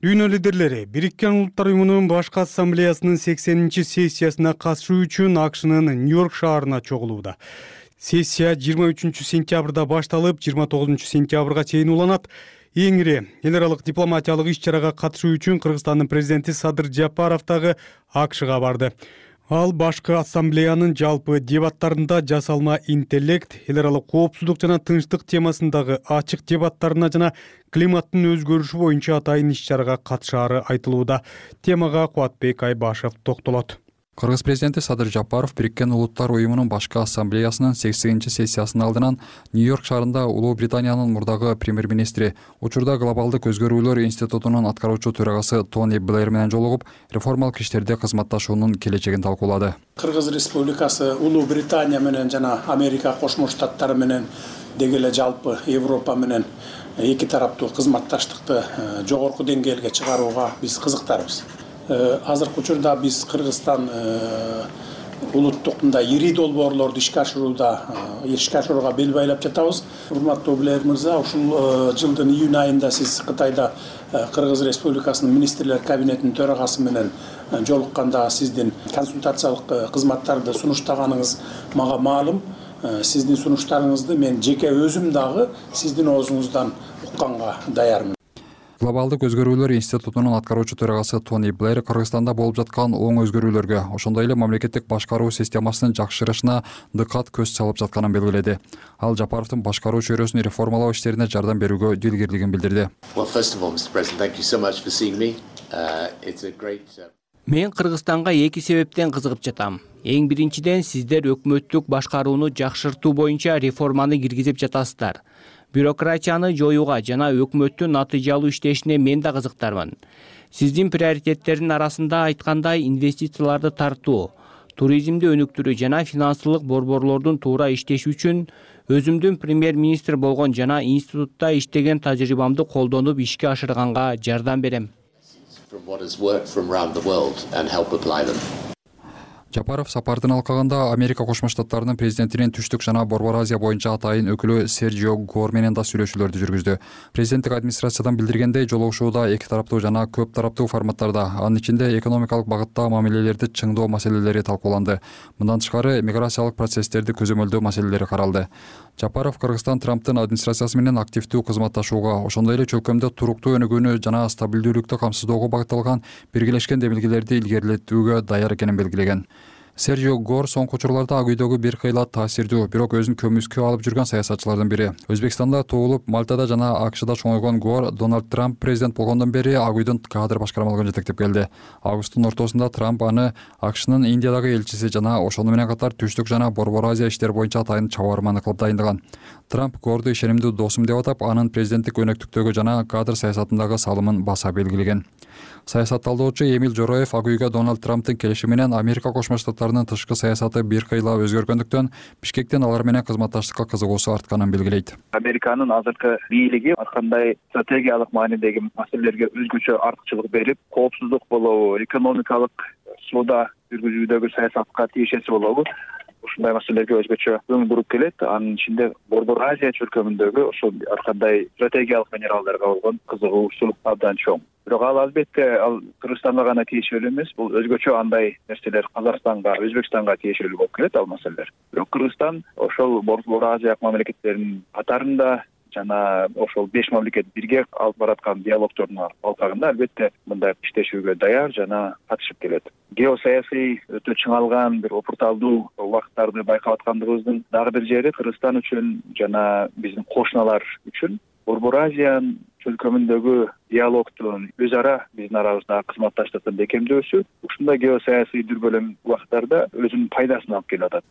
Дүйнө лидерлери Бириккен Улуттар уюмунун башкы ассамблеясынын 80-чи сессиясына катышуу үчүн АКШнын Нью-Йорк шаарына чогулууда. Сессия 23 сентябрда башталып, 29 сентябрга чейин уланат. Эң ири эл аралык дипломатиялык иш-чарага катышуу үчүн Кыргызстандын президенти Садыр Жапаров дагы АКШга барды. Ал башкы ассамблеянын жалпы дебаттарында жасалма интеллект, эл аралык коопсуздук жана тынчтык темасындагы ачык дебаттарына жана климаттын өзгөрүшү боюнча атайын иш-чарага катышаары айтылууда. Темага Кубатбек Айбашев токтолот. Кыргыз президенти Садыр Жапаров Бириккен Улуттар уюмунун башкы ассамблеясынын 80-сессиясынын алдынан Нью-Йорк шаарында Улуу Британиянын мурдагы премьер-министри, учурда глобалдык өзгөрүүлөр институтунун аткаруучу төрагасы Тони Блэр менен жолугуп, реформалык иштерде кызматташуунун келечегин талкуулады. Кыргыз Республикасы Улуу Британия менен жана Америка Кошмо Штаттары менен деги эле жалпы Европа менен эки тараптуу кызматташтыкты жогорку деңгээлге чыгарууга биз кызыктарбыз. Азыркы учурда биз Кыргызстан улуттук мындай ири долбоорлорду ишке ашырууга бел байлап жатабыз. Урматтуу Блэр мырза, ушул жылдын июнь айында сиз Кытайда Кыргыз Республикасынын министрлер кабинетинин төрагасы менен жолукканда сиздин консультациялык кызматтарды сунуштаганыңыз мага маалым. Сиздин сунуштарыңызды мен жеке өзүм дагы сиздин оозуңуздан укканга даярмын. Глобалдык өзгөрүүлөр институтунун аткаруучу төрагасы Тони Блэр Кыргызстанда болуп жаткан оң өзгөрүүлөргө, ошондой эле мамлекеттик башкаруу системасынын жакшырышына дыкат көз салып жатканын белгиледи. Ал Жапаровдун башкаруу чөйрөсүн реформалоо иштерине жардам берүүгө дилгирлигин билдирди. Мен Кыргызстанга эки себептен кызыгып жатам. Эң биринчиден, сиздер өкмөттүк башкарууну жакшыртуу боюнча реформаны киргизип жатасыздар. Бюрократияны жоюуга жана өкмөттүн натыйжалуу иштешине мен да кызыктармын. Сиздин приоритеттердин арасында айткандай инвестицияларды тартуу, туризмди өнүктүрүү жана финансылык борборлордун туура иштеши үчүн өзүмдүн премьер-министр болгон жана институтта иштеген тажрыйбамды колдонуп ишке ашырганга жардам берем. Жапаров сапардын алкагында Америка Кошмо Штаттарынын президентинин Түштүк жана Борбор Азия боюнча атайын өкүлү Серджио Гор менен да сүйлөшүүлөрдү жүргүздү. Президенттик администрациядан билдиргендей, жолугушууда эки тараптуу жана көп тараптуу форматтарда, анын ичинде экономикалык багытта мамилелерди чыңдоо маселелери талкууланды. Мындан тышкары миграциялык процесстерди көзөмөлдөө маселелери каралды. Жапаров Кыргызстан Трамптын администрациясы менен активдүү кызматташууга, ошондой эле чөлкөмдө туруктуу өнүгүүнү жана стабилдүүлүктү камсыздоого багытталган биргелешкен демилгелерди илгерилетүүгө даяр экенин белгилеген. Серджио Гор соңку учурларда Ак үйдөгү бир кыйла таасирдүү, бирок өзүн көмүскө алып жүргөн саясатчылардын бири. Өзбекстанда туулуп, Мальтада жана АКШда чоңойгон Гор Дональд Трамп президент болгондон бери Ак үйдүн кадр башкармалыгын жетектеп келди. Августтун ортосунда Трамп аны АКШнын Индиядагы элчиси жана ошону менен катар Түштүк жана Борбор Азия иштери боюнча атайын чабарманы кылып дайындаган. Трамп Горду ишенимдүү досум деп атап, анын президенттик өнөктүктөгү жана кадр саясатындагы салымын баса белгилеген. Саясат талдоочу Эмил Жороев Ак үйгө Дональд Трамптын келиши менен Америка Кошмо Штаттарынын тышкы саясаты бир кыйла өзгөргөндүктөн Бишкектен алар менен кызматташтыкка кызыгуусу артканын белгилейт. Американын азыркы бийлиги ар кандай стратегиялык маанидеги маселелерге өзгөчө артыкчылык берип, коопсуздук болобу, экономикалык соода жүргүзүүдөгү саясатка тиешеси болобу, ушундай маселелерге өзгөчө көңүл буруп келет. Анын ичинде Борбор Азия чөлкөмүндөгү ошол ар кандай стратегиялык минералдарга болгон кызыгуусу абдан чоң. Бирок ал албетте Кыргызстанга гана тиешелүү эмес, бул өзгөчө андай нерселер Казакстанга, Өзбекстанга тиешелүү болуп келет ал маселелер. Бирок Кыргызстан ошол Борбор Азия мамлекеттеринин катарында жана ошол 5 мамлекет бирге алып бараткан диалогдордун алкагында албетте мындай иштешүүгө даяр жана катышып келет. Геосаясий өтө чыңалган бир опурталдуу убакыттарды байкап аткандыгыбыздын дагы бир жери Кыргызстан үчүн жана биздин кошуналар үчүн Борбор Азиянын чөлкөмүндөгү диалогдун өз ара биздин арабызда кызматташтыктын бекемдөөсү ушундай геосаясий дүрбөлөң убакыттарда өзүнүн пайдасын алып келип атат.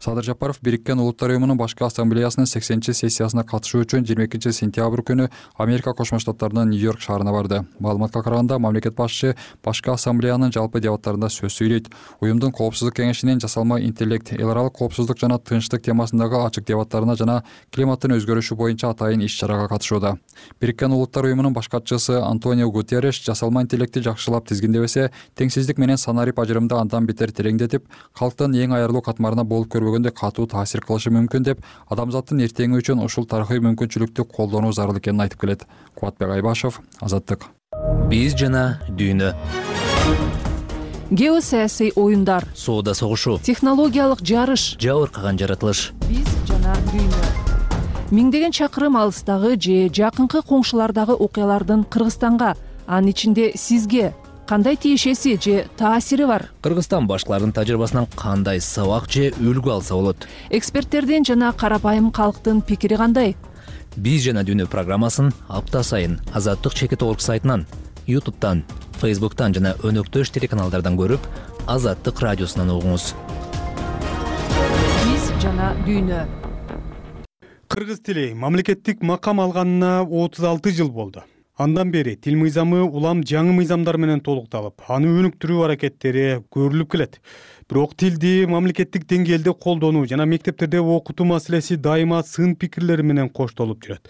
Садыр Жапаров Бириккен Улуттар уюмунун башкы ассамблеясынын 80-сессиясына катышуу үчүн 22-сентябрь күнү Америка Кошмо Штаттарынын Нью-Йорк шаарына барды. Маалыматка караганда, мамлекет башчы башкы ассамблеянын жалпы дебаттарында сөз сүйлөйт. Уюмдун коопсуздук кеңешинин жасалма интеллект, эл аралык коопсуздук жана тынчтык темасындагы ачык дебаттарына жана климаттын өзгөрүшү боюнча атайын иш-чарага катышууда. Бириккен Улуттар уюмунун баш катчысы Антонио Гутерреш жасалма интеллектти жакшылап тизгиндебесе, теңсиздик менен санарип ажырымды андан бетер тереңдетип, калктын эң аярлуу катмарына болуп көрбөгөндө катуу таасир кылышы мүмкүн деп, адамзаттын эртеңи үчүн ушул тарыхый мүмкүнчүлүктү колдонуу зарыл экенин айтып келет. Кубатбек Айбашев, Азаттык. Биз жана дүйнө. Геосаясий оюндар, соода согушу, технологиялык жарыш, жабыркаган жаратылыш. Биз жана дүйнө. Миңдеген чакырым алыстагы же жакынкы коңшулардагы окуялардын Кыргызстанга, анын ичинде сизге кандай тиешеси же таасири бар? Кыргызстан башкалардын тажрыйбасынан кандай сабак же үлгү алса болот? Эксперттердин жана карапайым калктын пикири кандай? Биз жана дүйнө программасын апта сайын Азаттык чекит орг сайтынан, YouTube'тан, Facebook'тан жана өнөктөш телеканалдардан көрүп, Азаттык радиосунан угуңуз. Биз жана дүйнө. Кыргыз тили мамлекеттик макам алганына 36 жыл болду. Андан бери тил мыйзамы улам жаңы мыйзамдар менен толукталып, аны өнүктүрүү аракеттери көрүлүп келет. Бирок тилди мамлекеттик деңгээлде колдонуу жана мектептерде окутуу маселеси дайыма сын пикирлери менен коштолуп жүрөт.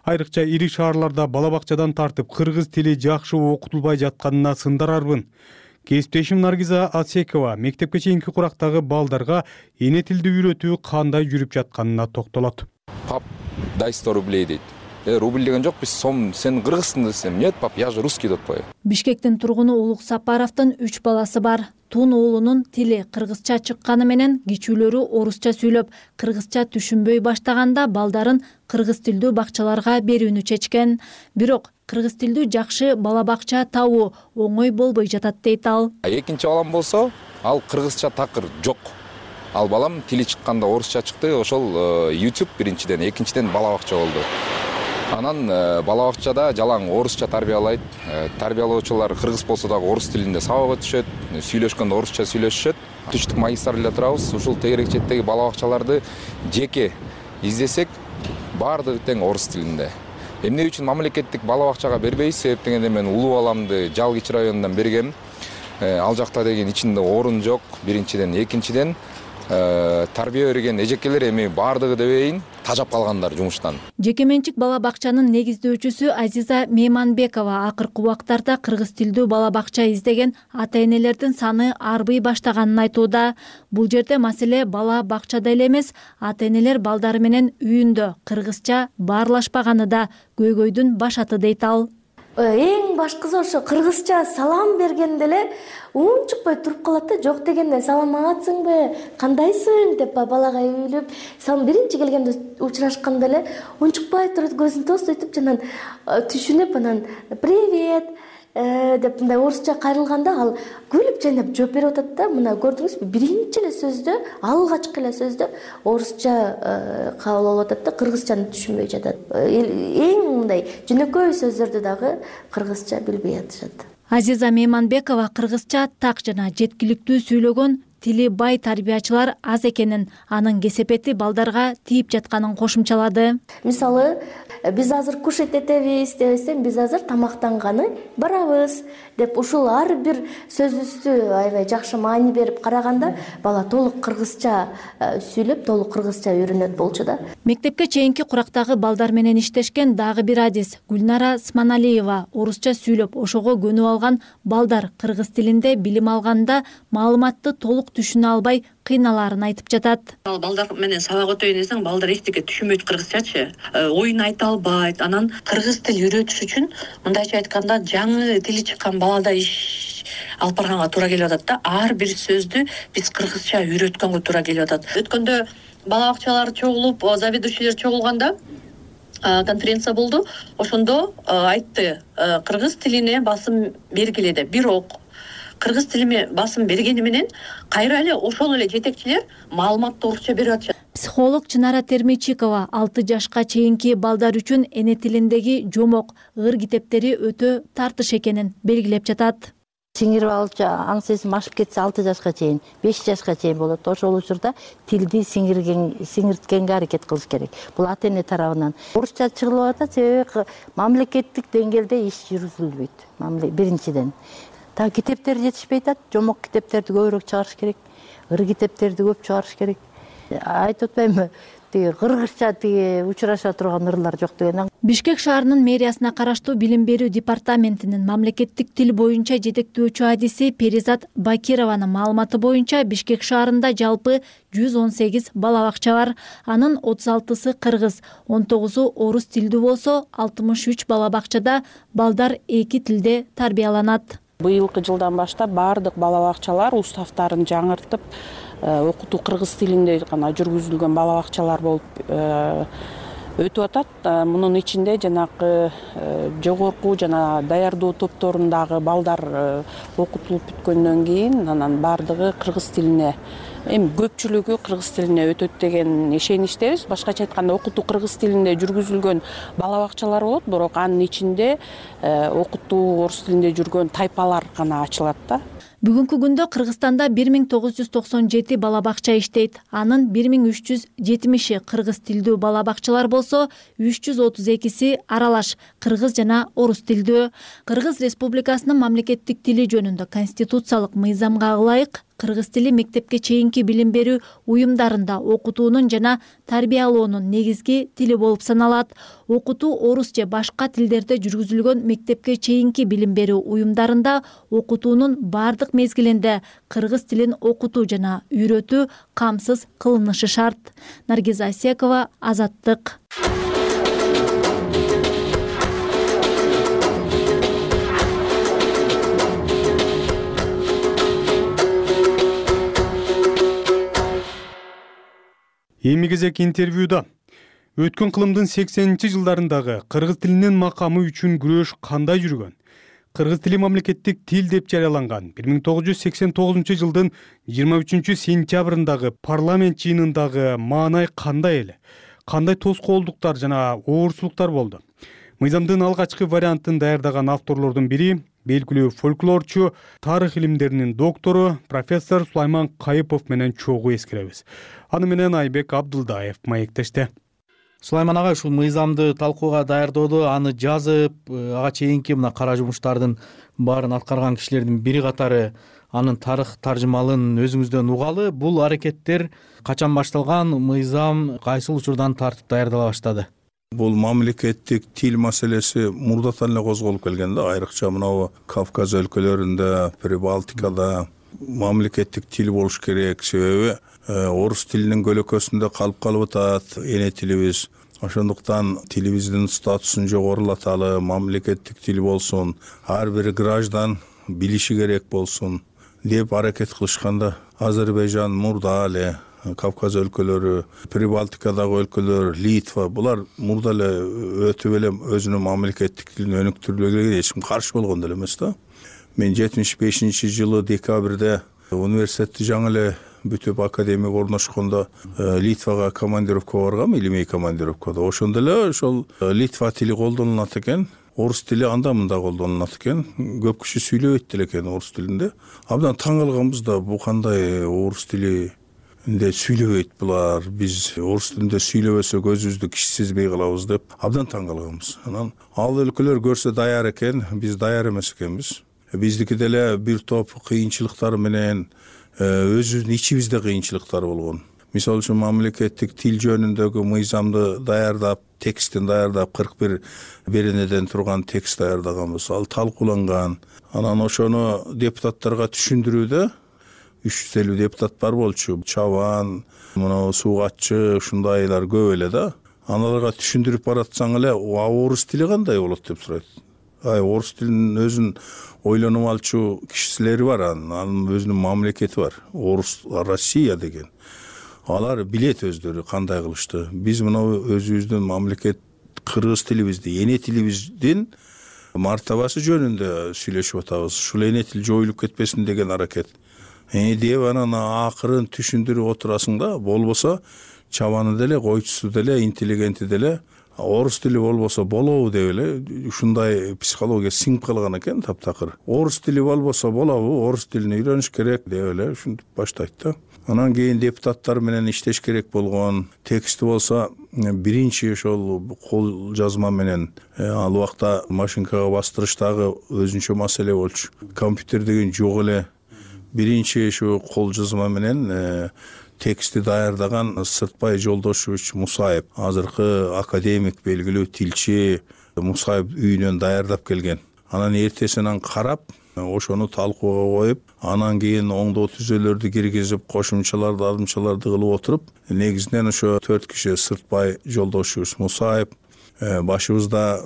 Айрыкча ири шаарларда бала бакчадан тартып кыргыз тили жакшы окутулбай жатканына сындарарбын. Кесиптешим Наргиза Асекова мектепке чейинки курактагы балдарга эне тилди үйрөтүү кандай жүрүп жатканына токтолот. Пап, дай 100 рублей дейт. Рубль деген жок, биз сом, сен кыргызсың десем, нет, пап, я же русский деп коет. Бишкектин тургуну Улук Сапаровдун 3 баласы бар. Тун уулунун тили кыргызча чыкканы менен кичүүлөрү орусча сүйлөп, кыргызча түшүнбөй баштаганда балдарын кыргыз тилдүү бакчаларга берүүнү чечкен. Бирок кыргыз тилдүү жакшы бала бакча табуу оңой болбой жатат дейт ал. Экинчи балам болсо, ал кыргызча такыр жок. Ал балам тили чыкканда орусча чыкты, ошол YouTube биринчиден, экинчиден бала бакча болду. Анан бала бакчада жалаң орусча тарбиялайт. Тарбиялоочулар кыргыз болсо дагы орус тилинде сабак өтүшөт, сүйлөшкөндө орусча сүйлөшүшөт. Түштүк магистралда турабыз. Ушул тегерек четтеги бала бакчаларды жеке издесек, баардыгы тең орус тилинде. Эмне үчүн мамлекеттик бала бакчага бербейбиз? Себеп дегенде мен улуу баламды Жалгыч районунан бергем. Ал жакта деген ичинде орун жок, биринчиден, экинчиден тарбия берген эжекелер эми баардыгы дебейин тажап калгандар жумуштан. Жекеменчик бала бакчанын негиздөөчүсү Азиза Мейманбекова акыркы убактарда кыргыз тилдүү бала бакча издеген ата-энелердин саны арбый баштаганын айтууда. Бул жерде маселе бала бакчада эле эмес, ата-энелер балдары менен үйүндө кыргызча баарлашпаганы да көйгөйдүн башаты дейт ал. Эң башкысы ошо кыргызча салам бергенде эле унчукпай туруп калат да, жок дегенде саламатсыңбы, кандайсың деп балага үйлүп, салам биринчи келгенде учурашканда эле унчукпай турат, көзүн тостойтуп жанан түшүнүп, анан привет деп мындай орусча кайрылганда ал күлүп жайнап жооп берип атат да. Мына көрдүңүзбү, биринчи эле сөздө, алгачкы эле сөздө орусча кабыл болуп атат да, кыргызчаны түшүнбөй жатат. Эң мындай жөнөкөй сөздөрдү дагы кыргызча билбей атышат. Азиза Мейманбекова кыргызча так жана жеткиликтүү сүйлөгөн тили бай тарбиячылар аз экенин, анын кесепети балдарга тийип жатканын кошумчалады. Мисалы, биз азыр кушать этебиз дебестен, биз азыр тамактанганы барабыз деп ушул ар бир сөзүбүздү аябай жакшы маани берип караганда, бала толук кыргызча сүйлөп, толук кыргызча үйрөнөт болчу да. Мектепке чейинки курактагы балдар менен иштешкен дагы бир адис Гүлнара Сманалиева орусча сүйлөп, ошого көнүп алган балдар кыргыз тилинде билим алганда маалыматты толук түшүнө албай кыйналарын айтып жатат. Балдар менен сабак өтөйүн десең, балдар эчтеке түшүнбөйт кыргызчачы, оюн айта албайт. Анан кыргыз тил үйрөтүш үчүн, мындайча айтканда, жаңы тили чыккан балада иш алып барганга туура келип атат да. Ар бир сөздү биз кыргызча үйрөткөнгө туура келип атат. Өткөндө бала бакчалар чогулуп, заведующийлер чогулганда конференция болду. Ошондо айтты, кыргыз тилине басым бергиле деп. Бирок кыргыз тилиме басым бергени менен кайра эле ошол эле жетекчилер маалыматты орусча берип атышат. Психолог Чынара Термичикова 6 жашка чейинки балдар үчүн эне тилиндеги жомок, ыр китептери өтө тартыш экенин белгилеп жатат. Сиңирип алчу аң сезим ашып кетсе 6 жашка чейин, 5 жашка чейин болот. Ошол учурда тилди сиңирткенге аракет кылыш керек. Бул ата-эне тарабынан. Орусча чыгылып атат, себеби мамлекеттик деңгээлде иш жүргүзүлбөйт. Биринчиден. Та китептер жетишпей атат, жомок китептерди көбүрөөк чыгарыш керек, ыр китептерди көп чыгарыш керек. Айтып атпаймынбы, кыргызча учураша турган ырлар жок деген. Бишкек шаарынын мэриясына караштуу билим берүү департаментинин мамлекеттик тил боюнча жетектөөчү адиси Перизат Бакированын маалыматы боюнча Бишкек шаарында жалпы 118 бала бакча бар. Анын 36сы кыргыз, 19-у орус тилдүү болсо, 63 бала бакчада балдар эки тилде тарбияланат. Быйылкы жылдан баштап баардык бала бакчалар уставтарын жаңыртып, окутуу кыргыз тилинде гана жүргүзүлгөн бала бакчалар болуп өтүп атат. Мунун ичинде жанагы жогорку жана даярдоо топторундагы балдар окутулуп бүткөндөн кийин анан баардыгы кыргыз тилине, эми көпчүлүгү кыргыз тилине өтөт деген ишеничтебиз. Башкача айтканда окутуу кыргыз тилинде жүргүзүлгөн бала бакчалар болот, бирок анын ичинде окутуу орус тилинде жүргөн тайпалар гана ачылат да. Бүгүнкү күндө Кыргызстанда 1997 бала бакча иштейт. Анын 1370 кыргыз тилдүү бала бакчалар болсо, 332 аралаш кыргыз жана орус тилдүү. Кыргыз Республикасынын мамлекеттик тили жөнүндө конституциялык мыйзамга ылайык кыргыз тили мектепке чейинки билим берүү уюмдарында окутуунун жана тарбиялоонун негизги тили болуп саналат. Окутуу орус же башка тилдерде жүргүзүлгөн мектепке чейинки билим берүү уюмдарында окутуунун бардык мезгилинде кыргыз тилин окутуу жана үйрөтүү камсыз кылынышы шарт. Наргиза Асекова, Азаттык. Эми кезек интервьюда өткөн кылымдын 80-жылдарындагы кыргыз тилинин макамы үчүн күрөш кандай жүргөн? Кыргыз тили мамлекеттик тил деп жарыяланган 1989 жылдын 23 сентябрындагы парламент жыйынындагы маанай кандай эле? Кандай тоскоолдуктар жана оорчулуктар болду? Мыйзамдын алгачкы вариантын даярдаган авторлордун бири белгилүү фольклорчу, тарых илимдеринин доктору профессор Сулайман Кайыпов менен чогуу эскеребиз. Аны менен Айбек Абдылдаев маектеште. Сулайман агай, ушул мыйзамды талкууга даярдоодо, аны жазып, ага чейинки мына кара жумуштардын баарын аткарган кишилердин бири катары анын тарых таржымалын өзүңүздөн угалы. Бул аракеттер качан башталган, мыйзам кайсыл учурдан тартып даярдала баштады? Бул мамлекеттик тил маселеси мурдатан эле козголуп келген да, айрыкча мына Кавказ өлкөлөрүндө, Прибалтикада мамлекеттик тил болуш керек. Себеби орус тилинин көлөкөсүндө калып атат эне тилибиз. Ошондуктан тилибиздин статусун жогорулаталы, мамлекеттик тил болсун, ар бир граждан билиши керек болсун деп аракет кылышканда, Азербайжан мурда эле, Кавказ өлкөлөрү, Прибалтикадагы өлкөлөр, Литва, булар мурда эле өтүп эле өзүнүн мамлекеттик тилин өнүктүрүлгөнгө эч ким каршы болгон деле эмес да. Мен 75-жылы декабрда университетти жаңы эле бүтүп академияга орношкондо Литвага командировкага баргам, илимий командировкада. Ошондо эле ошол Литва тили колдонулат экен, орус тили анда-мында колдонулат экен. Көп киши сүйлөбөйт деле экен орус тилинде. Абдан таң калганбыз да, бу кандай орус тили сүйлөбөйт булар, биз орус тилинде сүйлөбөсөк өзүбүздү киши сезбей калабыз деп абдан таң калганбыз. Анан ал өлкөлөр көрсө даяр экен, биз даяр эмес экенбиз. Биздики деле бир топ кыйынчылыктар менен өзүбүздүн ичибизде кыйынчылыктар болгон. Мисалы үчүн мамлекеттик тил жөнүндөгү мыйзамды даярдап, текстин даярдап, 41 беренеден турган текст даярдаганбыз. Ал талкууланган. Анан ошону депутаттарга түшүндүрүүдө 350 депутат бар болчу. Чабан, мына суугатчы, ушундайлар көп эле да. Аналарга түшүндүрүп баратсаң эле, орус тили кандай болот деп сурайт. Орус тилинин өзүн ойлонуп алчу кишилери бар, анын өзүнүн мамлекети бар. Орус Россия деген. Алар билет өздөрү кандай кылышты. Биз мына өзүбүздүн мамлекет кыргыз тилибизди, эне тилибиздин мартабасы жөнүндө сүйлөшүп атабыз. Ушул эне тил жоюлуп кетпесин деген аракет. Деп анан акырын түшүндүрүп отурасың да, болбосо чабаны деле, койчусу деле, интеллигенти деле орус тили болбосо болобу деп эле ушундай психология сиңип калган экен таптакыр. Орус тили болбосо болобу, орус тилин үйрөнүш керек деп эле ушинтип баштайт да. Анан кийин депутаттар менен иштеш керек болгон. Тексти болсо биринчи ошол кол жазма менен ал убакта машинкага бастырыштагы өзүнчө маселе болчу. Компьютер деген жок эле. Биринчи ушу кол жазма менен тексти даярдаган Сыртбай Жолдошевич Мусаев, азыркы академик, белгилүү тилчи Мусаев үйүнөн даярдап келген. Анан эртесинен карап, ошону талкууга коюп, анан кийин оңдоо түзөлөрдү киргизип, кошумчаларды, алдымчаларды кылып отуруп, негизинен ошо 4 киши Сыртбай Жолдошевич Мусаев, башыбызда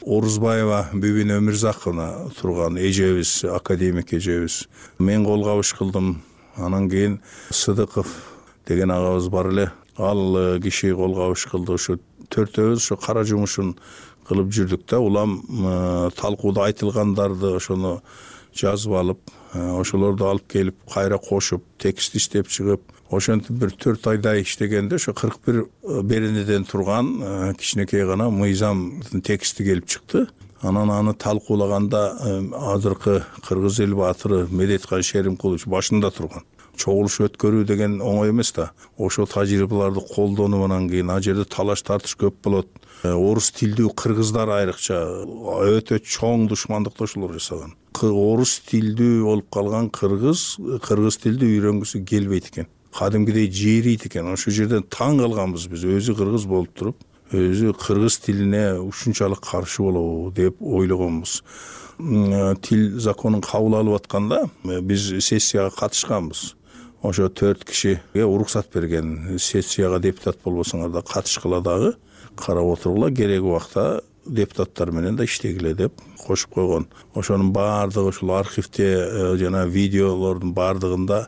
Орузбаева Бүбүн Өмүрзаковна турган эжебиз, академик эжебиз. Мен кол кабыш кылдым. Анан кийин Сыдыков деген агабыз бар эле. Ал киши кол кабыш кылды. Ушу төртөөбүз ошо кара жумушун кылып жүрдүк да. Улам талкууда айтылгандарды ошону жазып алып, ошолорду алып келип кайра кошуп, текст иштеп чыгып, ошентип бир 4 айдай иштегенде ошо 41 беренеден турган кичинекей гана мыйзамдын тексти келип чыкты. Анан аны талкуулаганда азыркы кыргыз эл баатыры Медеткан Шеримкулович башында турган. Чогулуш өткөрүү деген оңой эмес да. Ошол тажрыйбаларды колдонуп кийин ал жерде талаш тартыш көп болот. Орус тилдүү кыргыздар айрыкча өтө чоң душмандыкташуулар жасаган. Орус тилдүү болуп калган кыргыз тилди үйрөнгүсү келбейт экен. Кадимгидей жээрийт экен. Ошол жерден таң калганбыз биз. Өзү кыргыз болуп туруп, өзү кыргыз тилине ушунчалык каршы болобу деп ойлогонбуз. Тил законун кабыл алып атканда биз сессияга катышканбыз. Ошо 4 кишиге уруксат берген. Сессияга депутат болбосоңор да катышкыла дагы, карап отургула, кереги убакта депутаттар менен да иштегиле деп кошуп койгон. Ошонун баардыгы ушул архивде жана видеолордун баардыгында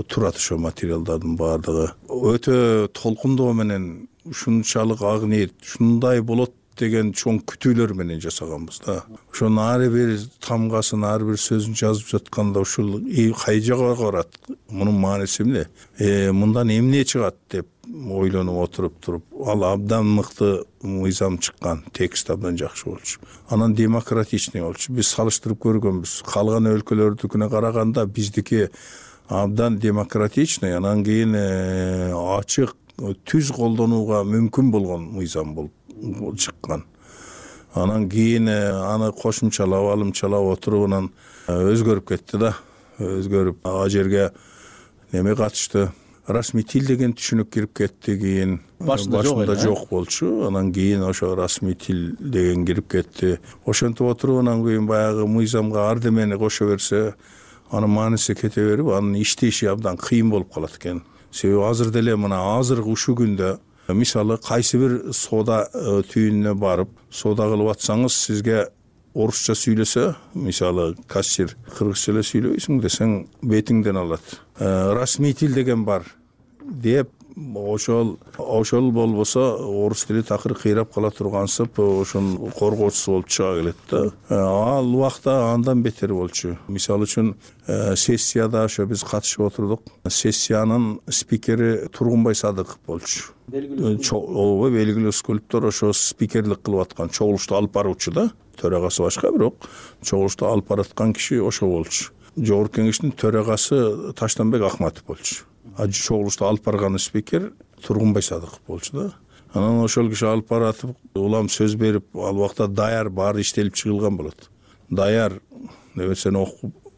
турат, ошо материалдардын баардыгы. Өтө толкундоо менен ушунчалык ак ниет, ушундай болот деген чоң күтүүлөр менен жасаганбыз да. Ошонун ар бир тамгасын, ар бир сөзүн жазып жатканда ушул кай жака барат, мунун мааниси эмне, мындан эмне чыгат деп ойлонуп туруп, ал абдан мыкты мыйзам чыккан, текст абдан жакшы болчу. Анан демократичный болчу. Биз салыштырып көргөнбүз. Калган өлкөлөрдүкүнө караганда биздики абдан демократичный, анан кийин ачык, түз колдонууга мүмкүн болгон мыйзам болуп чыккан. Анан кийин аны кошумчалап, алымчалап отуруп анан өзгөрүп кетти да. Өзгөрүп ал жерге неме катышты. Расмий тил деген түшүнүк кирип кетти кийин. Башында жок болчу. Анан кийин ошо расмий тил деген кирип кетти. Ошентип отуруп анан кийин баягы мыйзамга ардемени кошо берсе, анын мааниси кете берип, анын иштеши абдан кыйын болуп калат экен. Себеби азыр деле мына азыркы ушул күндө мисалы кайсы бир соода түйүнүнө барып, соода кылып атсаңыз, сизге орусча сүйлөсө, мисалы кассир кыргызча эле сүйлөбөйсүң десең, бетиңден алат. Расмий тил деген бар деп, ошол болбосо орус тили такыр кыйрап кала тургансып, ошонун коргоочусу болуп чыга келет да. Ал убакта андан бетер болчу. Мисалы үчүн сессияда ошо биз катышып отурдук. Сессиянын спикери Тургунбай Садыков болчу. Белгилүү скульптор, ошо спикерлик кылып аткан, чогулушту алып баруучу да. Төрагасы башка, бирок чогулушту алып бараткан киши ошо болчу. Жогорку кеңештин төрагасы Таштанбек Акматов болчу. Чогулушту алып барган спикер Тургунбай Садыков болчу да. Анан ошол киши алып баратып, улам сөз берип, ал убакта даяр баары иштелип чыгылган болот. Даяр нерсени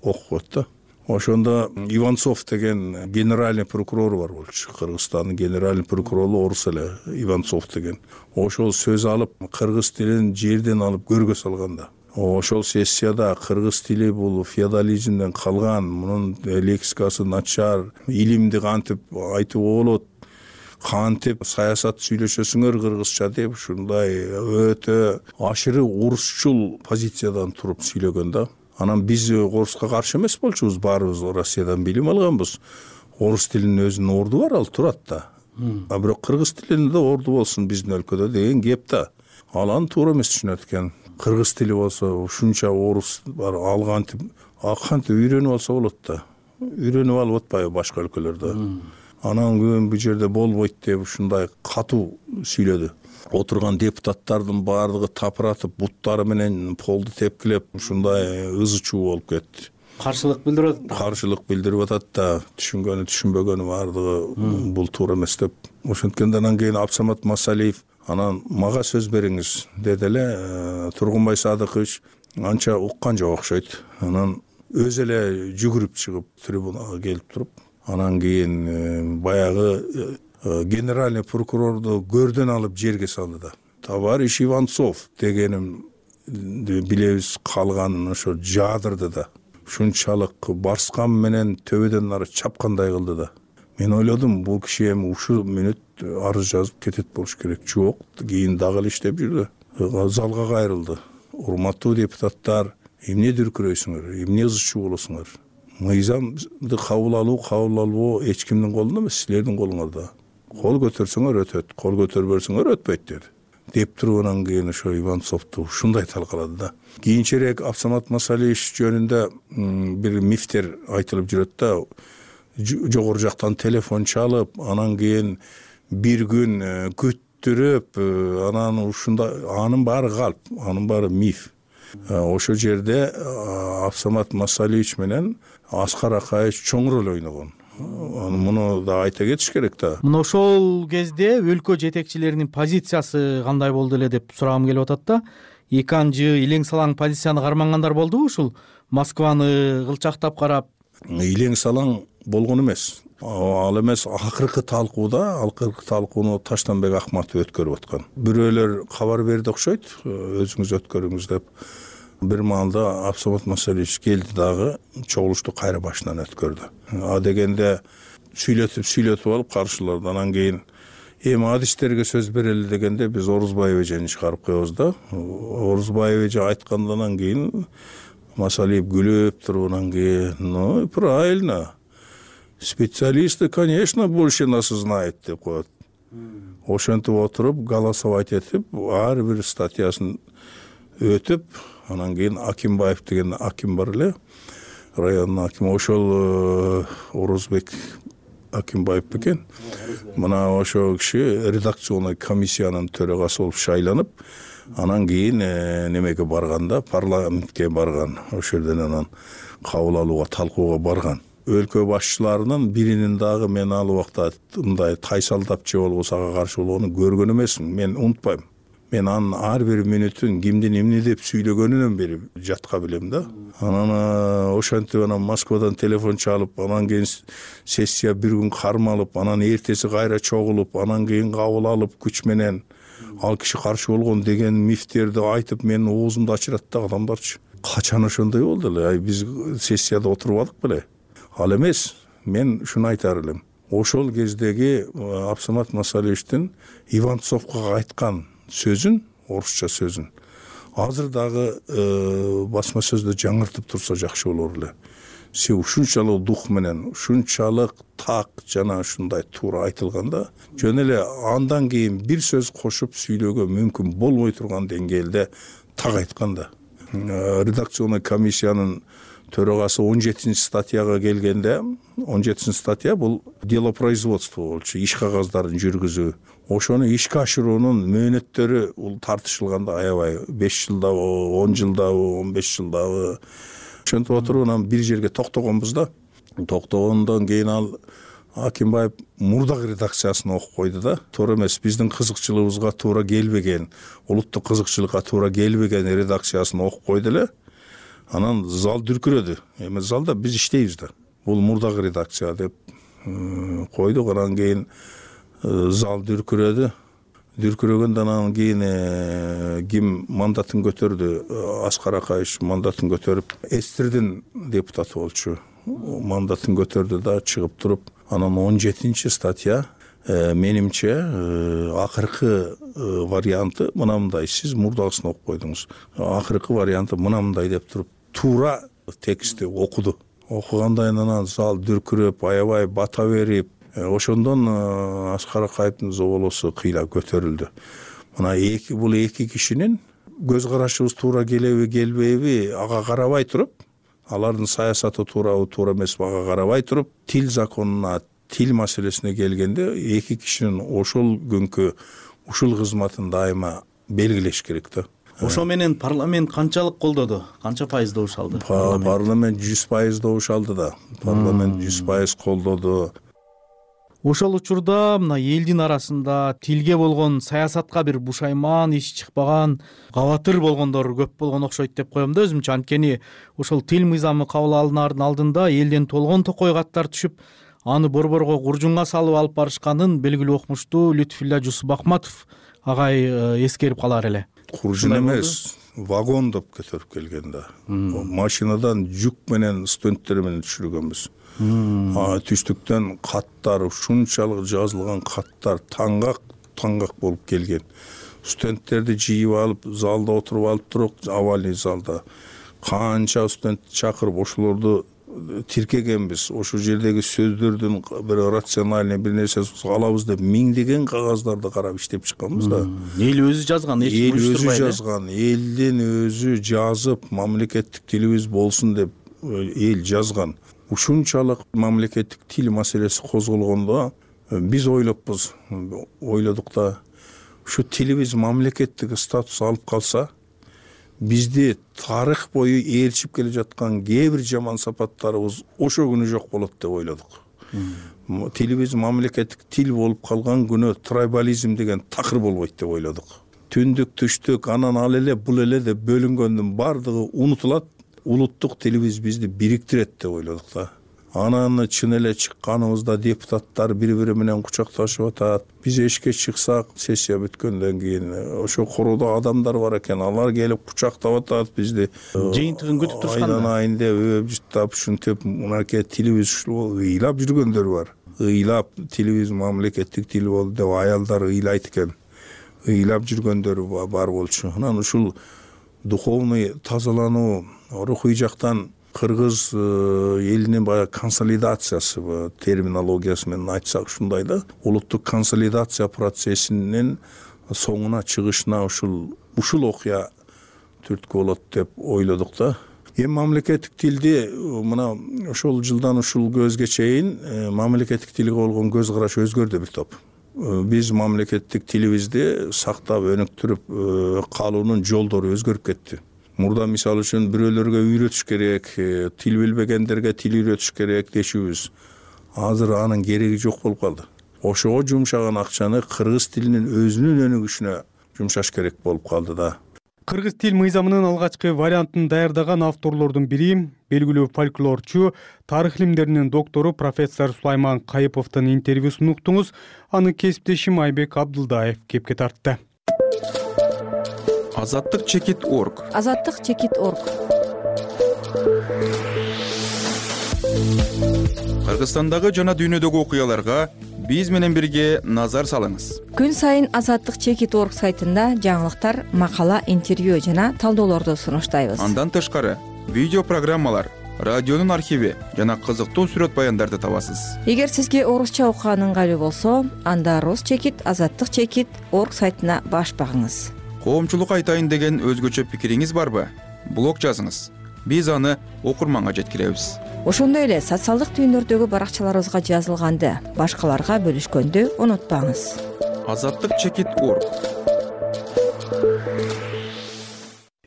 окуп да. Ошондо Иванцов деген генеральный прокурор бар болчу. Кыргызстандын генеральный прокурору орус эле, Иванцов деген. Ошол сөз алып, кыргыз тилин жерден алып көргө салганда. Ошол сессияда кыргыз тили бул феодализмден калган, мунун лексикасы начар, илимди кантип айтууга болот, кантип саясат сүйлөшөсүңөр кыргызча деп, ушундай өтө ашыры орусчул позициядан туруп сүйлөгөн да. Анан биз оруска каршы эмес болчубуз, баарыбыз Россиядан билим алганбыз. Орус тилинин өзүнүн орду бар, ал турат да. А бирок кыргыз тилинде орду болсун биздин өлкөдө деген кеп да. Ал аны туура эмес түшүнөт экен. Кыргыз тили болсо ушунча орус бар, ал кантип үйрөнүп алса болот да. Үйрөнүп алып атпайбы башка өлкөлөрдө. Анан күн бул жерде болбойт деп ушундай катуу сүйлөдү. Отурган депутаттардын баардыгы тапыратып, буттары менен полду тепкилеп, ушундай ызы чуу болуп кетти. Каршылык билдирип атат да, түшүнгөнү түшүнбөгөнү баардыгы бул туура эмес деп. Ошенткенде анан кийин Абсамат Масалиев анан мага сөз бериңиз деди эле. Тургунбай Садыкович анча уккан жок окшойт. Анан өзү эле жүгүрүп чыгып трибунага келип туруп, анан кийин баягы генеральный прокурорду көрдөн алып жерге салды да. Товарищ Иванцов дегеним билебиз, калганын ошо жаадырды да. Ушунчалык барскан менен төбөдөн ары чапкандай кылды да. Мен ойлодум, бул киши эми ушул мүнөт арыз жазып кетет болуш керек. Жок, кийин дагы эле иштеп жүрдү. Залга кайрылды. Урматтуу депутаттар, эмне дүркүрөйсүңөр, эмне ызы чуу болосуңар? Мыйзамды кабыл алуу эч кимдин колунда эмес, силердин колуңарда. кол көтөрсөңөр өтөт, кол көтөрбөсөңөр өтпөйт деди. Деп туруп анан кийин ошо Иванцовду ушундай талкалады да. Кийинчерээк Абсамат Масалиевич жөнүндө бир мифтер айтылып жүрөт да. Жогору жактан телефон чалып, анан кийин бир күн күттүрүп, анан ушундай, анын баары калп, анын баары миф. Ошол жерде Абсамат Масалиевич менен Аскар Акаевич чоң роль ойногон. Муну да айта кетиш керек да. Мына ошол кезде өлкө жетекчилеринин позициясы кандай болду эле деп сурагым келип атат да. Эки анжы илең салаң позицияны кармангандар болдубу ушул Москваны кылчактап карап? Илең салаң болгон эмес. Ал эмес, акыркы талкууну Таштанбек Акматов өткөрүп аткан. Бирөөлөр кабар берди окшойт, өзүңүз өткөрүңүз деп. Бир маалда Абсамат Масалиевич келди дагы чогулушту кайра башынан өткөрдү. А дегенде сүйлөтүп алып каршыларды. Анан кийин эми адистерге сөз берели дегенде биз Орузбаев эжени чыгарып коебуз да. Орузбаев эже айткандан кийин Масалиев күлүп туруп анан кийин, ну правильно. Специалисты, конечно, больше нас знает деп коет. Ошентип отуруп, голосовать этип, ар бир статьясын өтүп, анан кийин Акимбаев деген аким бар эле, райондун акими, ошол Орузбек Акимбаев бекен. Мына ошол киши редакционный комиссиянын төрагасы болуп шайланып, анан кийин немеге барганда, парламентке барган. Ошол жерден анан кабыл алууга, талкууга барган. Өлкө башчыларынын биринин дагы мен ал убакта мындай тайсалдап же болбосо ага каршы болгонун көргөн эмесмин. Мен унутпайм. Мен анын ар бир мүнөтүн кимдин эмне деп сүйлөгөнүнөн бери жатка билем да. Анан ошентип анан Москвадан телефон чалып, анан кийин сессия бир күн кармалып, анан эртеси кайра чогулуп, анан кийин кабыл алып күч менен ал киши каршы болгон деген мифтерди айтып менин оозумду ачырат да адамдарчы. Качан ошондой болду эле? Биз сессияда отурбадык беле? Ал эмес, мен ушуну айтар элем. Ошол кездеги Абсамат Масалиевичтин Иванцовго айткан сөзүн, орусча сөзүн, азыр дагы басма сөздө жаңыртып турса жакшы болор эле. Се ушунчалык дух менен, ушунчалык так жана ушундай туура айтылганда, жөн эле андан кийин бир сөз кошуп сүйлөөгө мүмкүн болбой турган деңгээлде так айтканда. Редакционный комиссиянын төрагасы 17 статьяга келгенде, 17 статья бул делопроизводство болчу, иш кагаздарын жүргүзүү. Ошону ишке ашыруунун мөөнөттөрү бул тартышылганда аябай 5 жылдабы, 10 жылдабы, 15 жылдабы. Ошентип отуруп анан бир жерге токтогонбуз да. Токтогондон кийин ал Акимбаев мурдагы редакциясын окуп койду да. Туура эмес, биздин кызыкчылыгыбызга туура келбеген, улуттук кызыкчылыкка туура келбеген редакциясын окуп койду эле. Анан зал дүркүрөдү. Эми залда биз иштейбиз да. Бул мурдагы редакция деп койдук. Анан кийин зал дүркүрөдү. Дүркүрөгөндөн анан кийин ким мандатын көтөрдү? Аскар Акаевич мандатын көтөрүп, Эстердин депутаты болчу. Мандатын көтөрдү да чыгып туруп, анан 17 статья менимче акыркы варианты мынандай. Сиз мурдагысын окуп койдуңуз. Акыркы варианты мынандай деп туруп, туура текстти окуду. Окугандан анан зал дүркүрөп, аябай бата берип, ошондон Аскар Акаевдин зоболосу кыйла көтөрүлдү. Мына бул эки кишинин көз карашыбыз туура келеби, келбейби ага карабай туруп, алардын саясаты туурабы, туура эмеспи ага карабай туруп, тил законуна, тил маселесине келгенде эки кишинин ошол күнкү ушул кызматын дайыма белгилеш керек да. Ошо менен парламент канчалык колдоду? Канча пайыз добуш алды? Парламент 100% добуш алды да. Парламент 100% колдоду. Ошол учурда мына элдин арасында тилге болгон саясатка бир бушайман, иш чыкпаган, кабатыр болгондор көп болгон окшойт деп коем да өзүмчө. Анткени ошол тил мыйзамы кабыл алынаардын алдында элден толгон токой каттар түшүп, аны борборго куржунга салып алып барышканын белгилүү окумуштуу Лютфулла Жусупахматов агай эскерип калар эле. Куржун эмес, вагон деп көтөрүп келген да. Машинадан жүк менен студенттер менен түшүргөнбүз. Түштүктөн каттар, ушунчалык жазылган каттар таңгак болуп келген. Студенттерди жыйып алып, залда отуруп алып туруп, авальный залда канча студент чакырып, ошолорду тиркегенбиз, ошол жердеги сөздөрдүн бир рациональный бир нерсе алабыз деп миңдеген кагаздарды карап иштеп чыкканбыз да. Эл өзү жазган, эч ким өзү жазган, элдин өзү жазып мамлекеттик тилибиз болсун деп эл жазган. Ушунчалык мамлекеттик тил маселеси козголгондо биз ойлодук да, ушу тилибиз мамлекеттик статус алып калса, бизди тарых бою ээрчип келе жаткан кээ бир жаман сапаттарыбыз ошо күнү жок болот деп ойлодук. Тилибиз мамлекеттик тил болуп калган күнү трайбализм деген такыр болбойт деп ойлодук. Түндүк, түштүк, анан ал эле, бул эле деп бөлүнгөндүн баардыгы унутулат. Улуттук тилибиз бизди бириктирет деп ойлодук да. Анан чын эле чыкканыбызда депутаттар бири-бири менен кучакташып атат. Биз эшикке чыксак, сессия бүткөндөн кийин ошо короодо адамдар бар экен, алар келип кучактап атат бизди. Жыйынтыгын күтүп турушканда. Айланайын деп, өбүжүттап, ушинтип, мынакей тилибиз ушул ыйлап жүргөндөр бар. Ыйлап тилибиз мамлекеттик тил болду деп аялдар ыйлайт экен. Ыйлап жүргөндөр бар болчу. Анан ушул духовный тазалануу, рухий жактан кыргыз элинин баягы консолидациясы, терминологиясы менен айтсак ушундай да, улуттук консолидация процессинин соңуна чыгышына ушул окуя түрткү болот деп ойлодук да. Эми мамлекеттик тилди мына ошол жылдан ушул көзгө чейин мамлекеттик тилге болгон көз караш өзгөрдү бир топ. Биз мамлекеттик тилибизди сактап, өнүктүрүп калуунун жолдору өзгөрүп кетти. Мурда мисалы үчүн бирөөлөргө үйрөтүш керек, тил билбегендерге тил үйрөтүш керек дешүүбүз. Азыр анын кереги жок болуп калды. Ошого жумшаган акчаны кыргыз тилинин өзүнүн өнүгүшүнө жумшаш керек болуп калды да. Кыргыз тил мыйзамынын алгачкы вариантын даярдаган авторлордун бири белгилүү фольклорчу, тарых илимдеринин доктору профессор Сулайман Кайыповдун интервьюсун уктуңуз. Аны кесиптешим Айбек Абдылдаев кепке тартты. Азаттык чекит.орг. Азаттык чекит.орг. Кыргызстандагы жана дүйнөдөгү окуяларга биз менен бирге назар салыңыз. Күн сайын Азаттык чекит.орг сайтында жаңылыктар, макала, интервью жана талдоолорду сунуштайбыз. Андан тышкары видео программалар, радионун архиви жана кызыктуу сүрөт баяндарды табасыз. Эгер сизге орусча окуган ыңгайлуу болсо, анда Рус чекит, Азаттык чекит.орг сайтына баш багыңыз. Коомчулук айтайын деген өзгөчө пикириңиз барбы? Блог жазыңыз. Биз аны окурманга жеткиребиз. Ошондой эле социалдык түйүндөрдөгү баракчаларыбызга жазылганды башкаларга бөлүшкөндү унутпаңыз. Азаттык чекит.орг.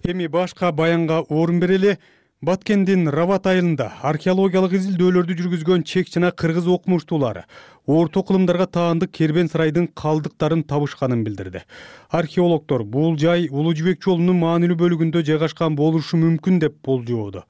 Эми башка баянга орун берели. Баткендин Рават айылында археологиялык изилдөөлөрдү жүргүзгөн чек жана кыргыз окумуштуулары орто кылымдарга таандык Кербен сарайдын калдыктарын табышканын билдирди. Археологдор бул жай Улуу Жибек жолунун маанилүү бөлүгүндө жайгашкан болушу мүмкүн деп болжоодо.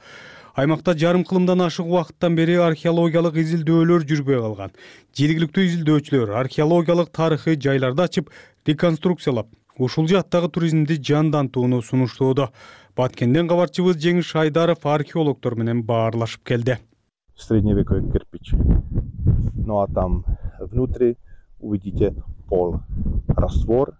Аймакта жарым кылымдан ашык убакыттан бери археологиялык изилдөөлөр жүрбөй калган. Жергиликтүү изилдөөчүлөр археологиялык тарыхый жайларды ачып, реконструкциялап, ушул жактагы туризмди жандантууну сунуштоодо. Баткенден кабарчыбыз Жеңиш Шайдаров археологдор менен баарлашып келди. Средневековый кирпич. Ну а там внутри увидите пол, раствор,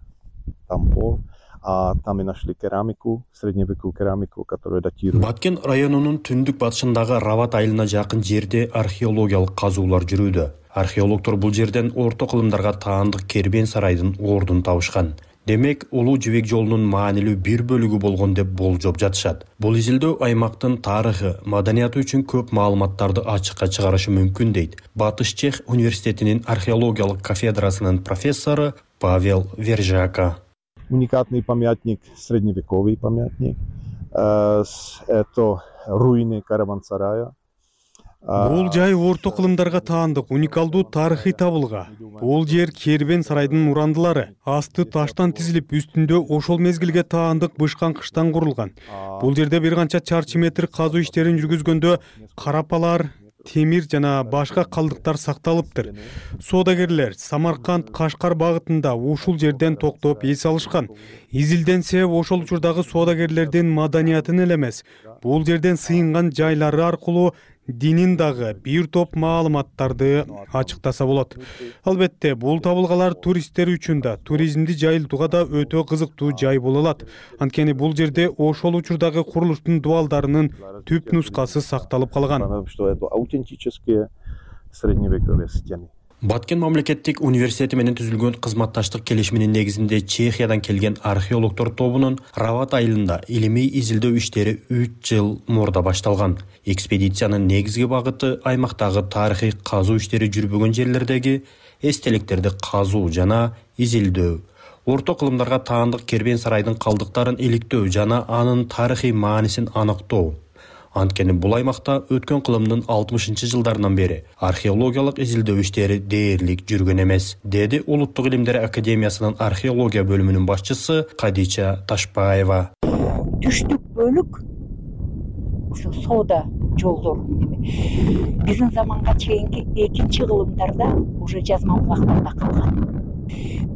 там пол, а там и нашли керамику, средневековую керамику, которая датирует. Баткен районунун түндүк батышындагы Рават айылына жакын жерде археологиялык казуулар жүрүүдө. Археологдор бул жерден орто кылымдарга таандык Кербен сарайдын ордун табышкан. Демек, Улуу Жибек жолунун маанилүү бир бөлүгү болгон деп болжоп жатышат. Бул изилдөө аймактын тарыхы, маданияты үчүн көп маалыматтарды ачыкка чыгарышы мүмкүн дейт Батыш Чех университетинин археологиялык кафедрасынын профессору Павел Вержака. Уникальный памятник, средневековый памятник. Это руины караван-сарая. Бул жай орто кылымдарга таандык уникалдуу тарыхый табылга. Бул жер Кербен сарайдын урандылары. Асты таштан тизилип, үстүндө ошол мезгилге таандык бышкан кыштан курулган. Бул жерде бир канча чарчы метр казуу иштерин жүргүзгөндө карапалар, темир жана башка калдыктар сакталыптыр. Соодагерлер Самарканд, Кашкар багытында ушул жерден токтоп эс алышкан. Изилденсе, ошол учурдагы соодагерлердин маданиятын эле эмес, бул жерден сыйынган жайлары аркылуу динин дагы бир топ маалыматтарды ачыктаса болот. Албетте, бул табылгалар туристтер үчүн да, туризмди жайылтууга да өтө кызыктуу жай боло алат. Анткени бул жерде ошол учурдагы курулуштун дубалдарынын түп нускасы сакталып калган. Баткен мамлекеттик университети менен түзүлгөн кызматташтык келишиминин негизинде Чехиядан келген археологдор тобунун Рават айылында илимий изилдөө иштери 3 жыл мурда башталган. Экспедициянын негизги багыты аймактагы тарыхый казуу иштери жүрбөгөн жерлердеги эстеликтерди казуу жана изилдөө, орто кылымдарга таандык кербен сарайдын калдыктарын иликтөө жана анын тарыхый маанисин аныктоо. Анткени бул аймакта өткөн кылымдын 60-жылдарынан бери археологиялык изилдөө иштери дээрлик жүргөн эмес, деди Улуттук илимдер академиясынын археология бөлүмүнүн башчысы Кадича Ташпаева. Түштүк бөлүк ушу соода жолдор биздин заманга чейинки 2-кылымдарда уже жазма булактарда калган.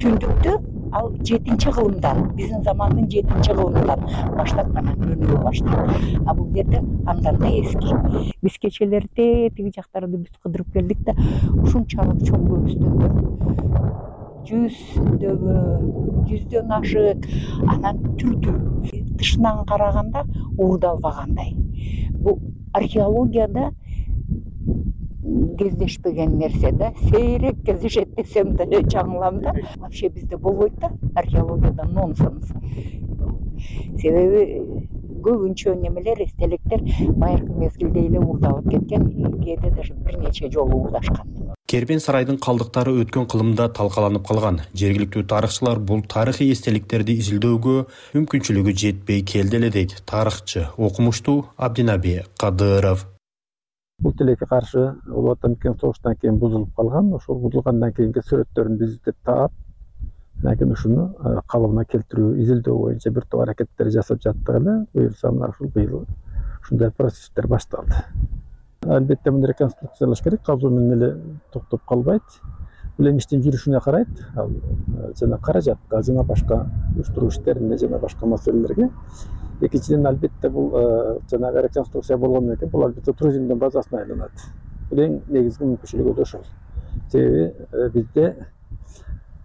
Түндүктө ал 7-кылымдан, биздин замандын 7-кылымынан баштап гана өнүгө баштады. А бул жерде андан да эски. Биз кечелерде тиги жактарды бүт кыдырып келдик да, ушунчалык чоң көбүстөндөр. 100дөн ашык, анан түрдүү. Тышынан караганда уурдалбагандай. Бул археологияда кездешпеген нерсе да, сейрек кездешет десем деле жаңылам да. Вообще бизде болбойт да, археологияда нонсенс. Себеби көбүнчө немелер, эстеликтер байыркы мезгилде эле уурдалып кеткен, кээде даже бир нече жолу уурдашкан. Кербен сарайдын калдыктары өткөн кылымда талкаланып калган. Жергиликтүү тарыхчылар бул тарыхый эстеликтерди изилдөөгө мүмкүнчүлүгү жетпей келди эле дейт тарыхчы, окумуштуу Абдинаби Кадыров. Бул тилекке каршы Улуу Отан согуштан кийин бузулуп калган. Ошол бузулгандан кийинки сүрөттөрүн биз издеп таап, анан кийин ушуну калыбына келтирүү, изилдөө боюнча бир топ аракеттер жасап жаттык эле. Буюрса мына ушул быйыл ушундай процесстер башталды. Албетте муну реконструкциялаш керек, казуу менен эле токтоп калбайт. Бул эми иштин жүрүшүнө карайт, ал жана каражатка, жана башка уюштуруу иштерине, жана башка маселелерге. Экинчиден, албетте бул жанагы реконструкция болгондон кийин бул албетте туризмдин базасына айланат. Бул эң негизги мүмкүнчүлүгү да ошол. Себеби бизде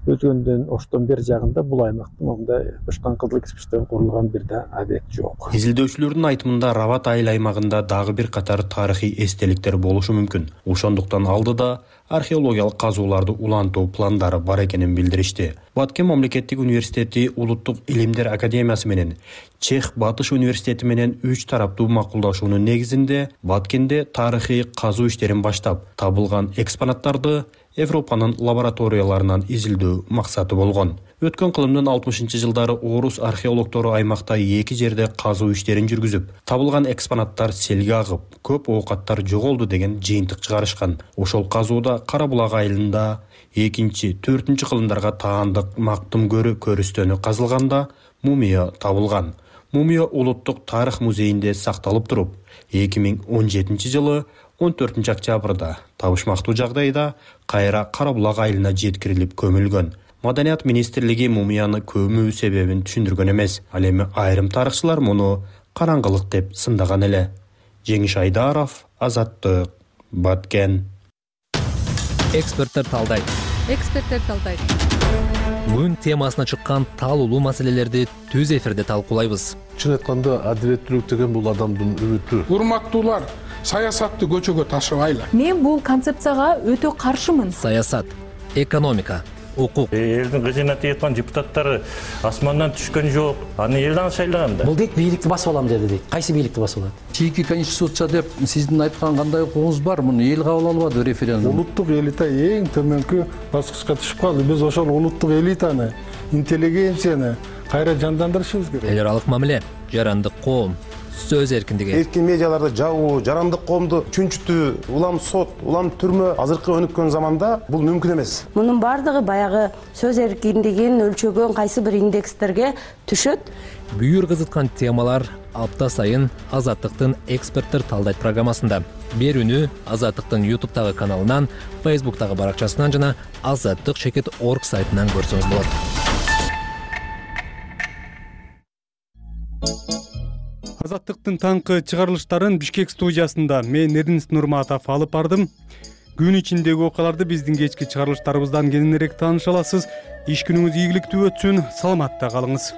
өткөндөн оштон бери жагында бул аймактын мындай бышкан кызыл кирпичтен курулган бир да объект жок. Изилдөөчүлөрдүн айтымында Рават айыл аймагында дагы бир катар тарыхый эстеликтер болушу мүмкүн. Ошондуктан алдыда археологиялык казууларды улантуу пландары бар экенин билдиришти. Баткен мамлекеттик университети Улуттук илимдер академиясы менен Чех Батыш университети менен 3 тараптуу макулдашуунун негизинде Баткенде тарыхый казуу иштерин баштап, табылган экспонаттарды Европанын лабораторияларынан изилдөө максаты болгон. Өткөн кылымдын 60-жылдары орус археологтору аймакта 2 жерде казуу иштерин жүргүзүп, табылган экспонаттар селге агып, көп оокаттар жоголду деген жыйынтык чыгарышкан. Ошол казууда Кара булак айылында 2-4 кылымдарга таандык мактум көрүстөнү казылганда мумия табылган. Мумия Улуттук тарых музейинде сакталып туруп, 2017 жылы 14 октябрда табышмактуу жагдайда кайра Кара булак айылына жеткирилип көмүлгөн. Маданият министрлиги мумияны көмүү себебин түшүндүргөн эмес. Ал эми айрым тарыхчылар муну караңгылык деп сындаган эле. Жеңиш Айдаров, Азаттык, Баткен. Эксперттер талдайт. Күн темасына чыккан талуулуу маселелерди түз эфирде талкуулайбыз. Чын айтканда адилеттүүлүк деген бул адамдын үмүтү. Урматтуулар, саясатты көчөгө ташыбайлы. Мен бул концепцияга өтө каршымын. Саясат, экономика, укук. Элдин кызына тийаткан депутаттары асмандан түшкөн жок. Аны элден шайлаган да. Бул дейт бийликти басып алам деди дейт. Кайсы бийликти басып алат? Чийки конституция деп сиздин айткан кандай укугуңуз бар? Муну эл кабыл албады референдум. Улуттук элита эң төмөнкү баскычка түшүп калды. Биз ошол улуттук элитаны, интеллигенцияны кайра жандандырышыбыз керек. Эл аралык мамиле, жарандык коом, сөз эркиндиги. Эркин медиаларды жабуу, жарандык коомду чүнчүтүү, улам сот, улам түрмө азыркы өнүккөн заманда бул мүмкүн эмес. Мунун бардыгы баягы сөз эркиндигин өлчөгөн кайсы бир индекстерге түшөт. Бүйүр кызыткан темалар апта сайын Азаттыктын эксперттер талдайт программасында. Берүүнү Азаттыктын YouTube'тагы каналынан, Facebook'тагы баракчасынан жана azattik.org сайтынан көрсөңүз болот. Азаттыктын таңкы чыгарылыштарын Бишкек студиясында мен Эрдинис Нурматов алып бардым. Күн ичиндеги окуяларды биздин кечки чыгарылыштарыбыздан кененирээк тааныша аласыз. Иш күнүңүз ийгиликтүү өтсүн, саламатта калыңыз.